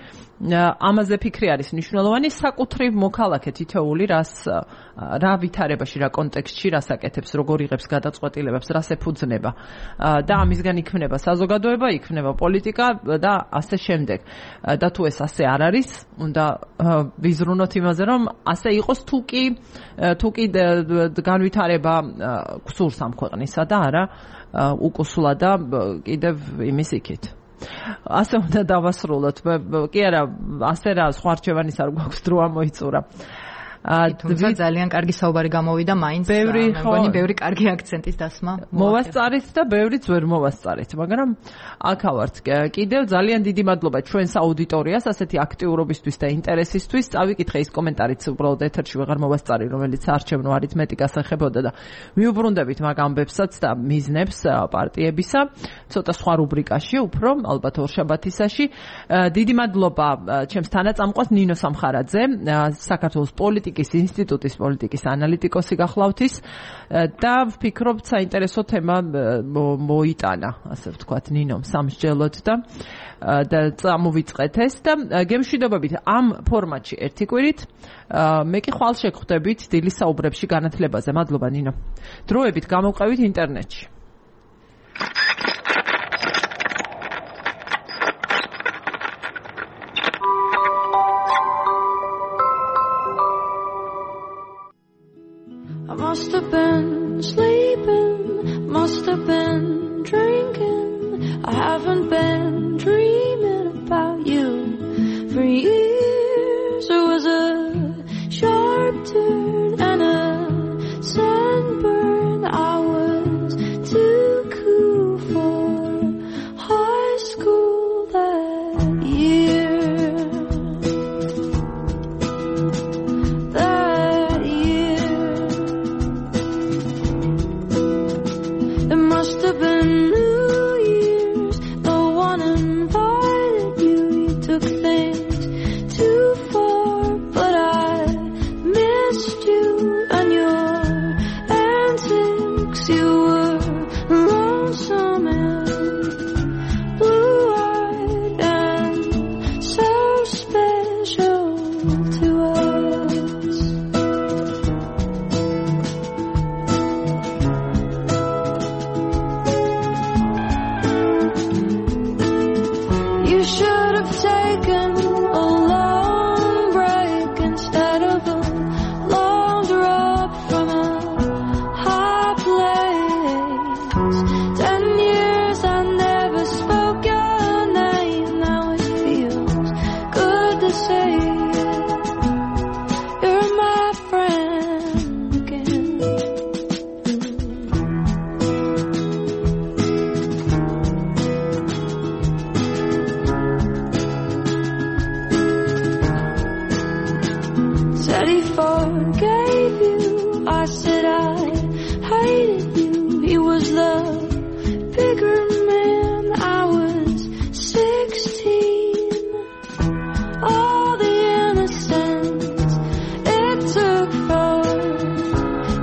ამაზე ფიქრი არის მნიშვნელოვანი, საკუთრივ მოქალაქე თითოეული რას რა ვითარებაში, რა კონტექსტში რას აკეთებს, როგორ იღებს გადაწყვეტილებებს, რას ეფუძნება და ამისგან იქმნება საზოგადოება, იქმნება პოლიტიკა და ასე შემდეგ. და თუ ეს ასე არ არის, უნდა ვიზრუნოთ იმაზე, რომ ასე იყოს თუ კი თუ კი განვითარება გსურს ამ ქვეყნისა და არა უკუსლა და კიდევ იმის იქით. ასე უნდა დავასრულოთ. კი არა, ასე რა სხვა რჩევანის არ გვაქვს, დრო ამოიწურა.
თუმცა ძალიან კარგი საუბარი გამოვიდა მაინც, მეგონი ბევრი კარგი აქცენტის დასმა
მოვასწარეთ და ბევრიც ვერ მოვასწარეთ, მაგრამ აქ ავართ. კიდევ ძალიან დიდი მადლობა ჩვენს აუდიტორიას ასეთი აქტიურობისთვის და ინტერესისთვის. წავიკითხე ის კომენტარიც უბრალოდ ეთერში ვეღარ მოვასწარი, რომელიც არჩევნო არითმეტიკას ეხებოდა და მიუბრუნდებით მაგ ამბებსაც და მიზნებს პარტიებისა, ცოტა სხვა რუბრიკაში, უფრო ალბათ ორშაბათისაში. დიდი მადლობა ჩემს თანაწამყვას ნინო სამხარაძე, საქართველოს პოლიტიკის ინსტიტუტის პოლიტიკის ანალიტიკოსი გახლავთის და ვფიქრობ საინტერესო თემა მოიტანა, ასე ვთქვათ, ნინომ სამსჯელოდ და და წამოვიწყეთ ეს და გემშვიდობებით ამ ფორმატში ერთი კვირით. მე კი ხვალ შეგხვდებით დილის საუბრებში განათლებაზე. მადლობა ნინო. დროებით გამოვყევით ინტერნეტში.
I must have been sleeping, must have been drinking. I haven't been dreaming about you for years. It was a sharp turn and a sunburn. I was too cool for high school that year. Must have been New Year's. No one invited you. You took things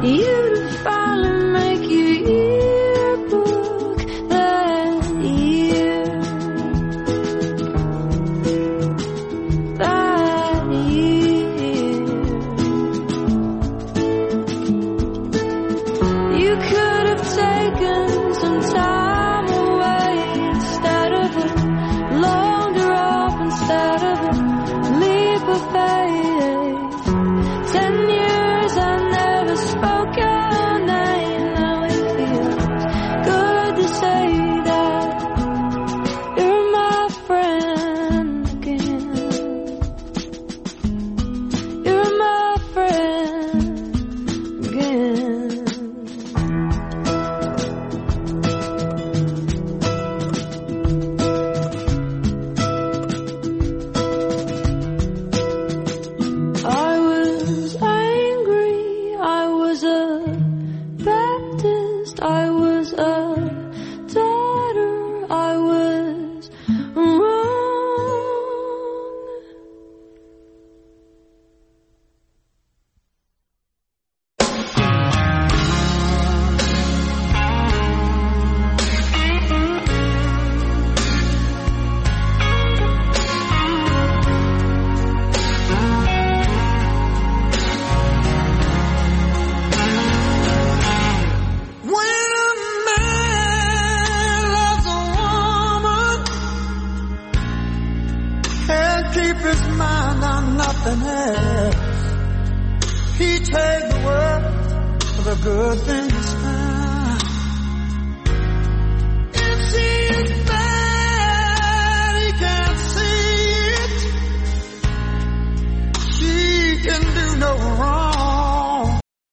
you to finally make your yearbook that year. That year. You could have taken some time away instead of a long drop, instead of a leap of faith. Ten years I never spoke your name. Now it feels good to say that you're my friend again. You're my friend again. I was angry, I was a Baptist, I was a daughter, I was wrong.
When a man loves a woman, can't keep his mind on nothing else. He takes the world for the good things found.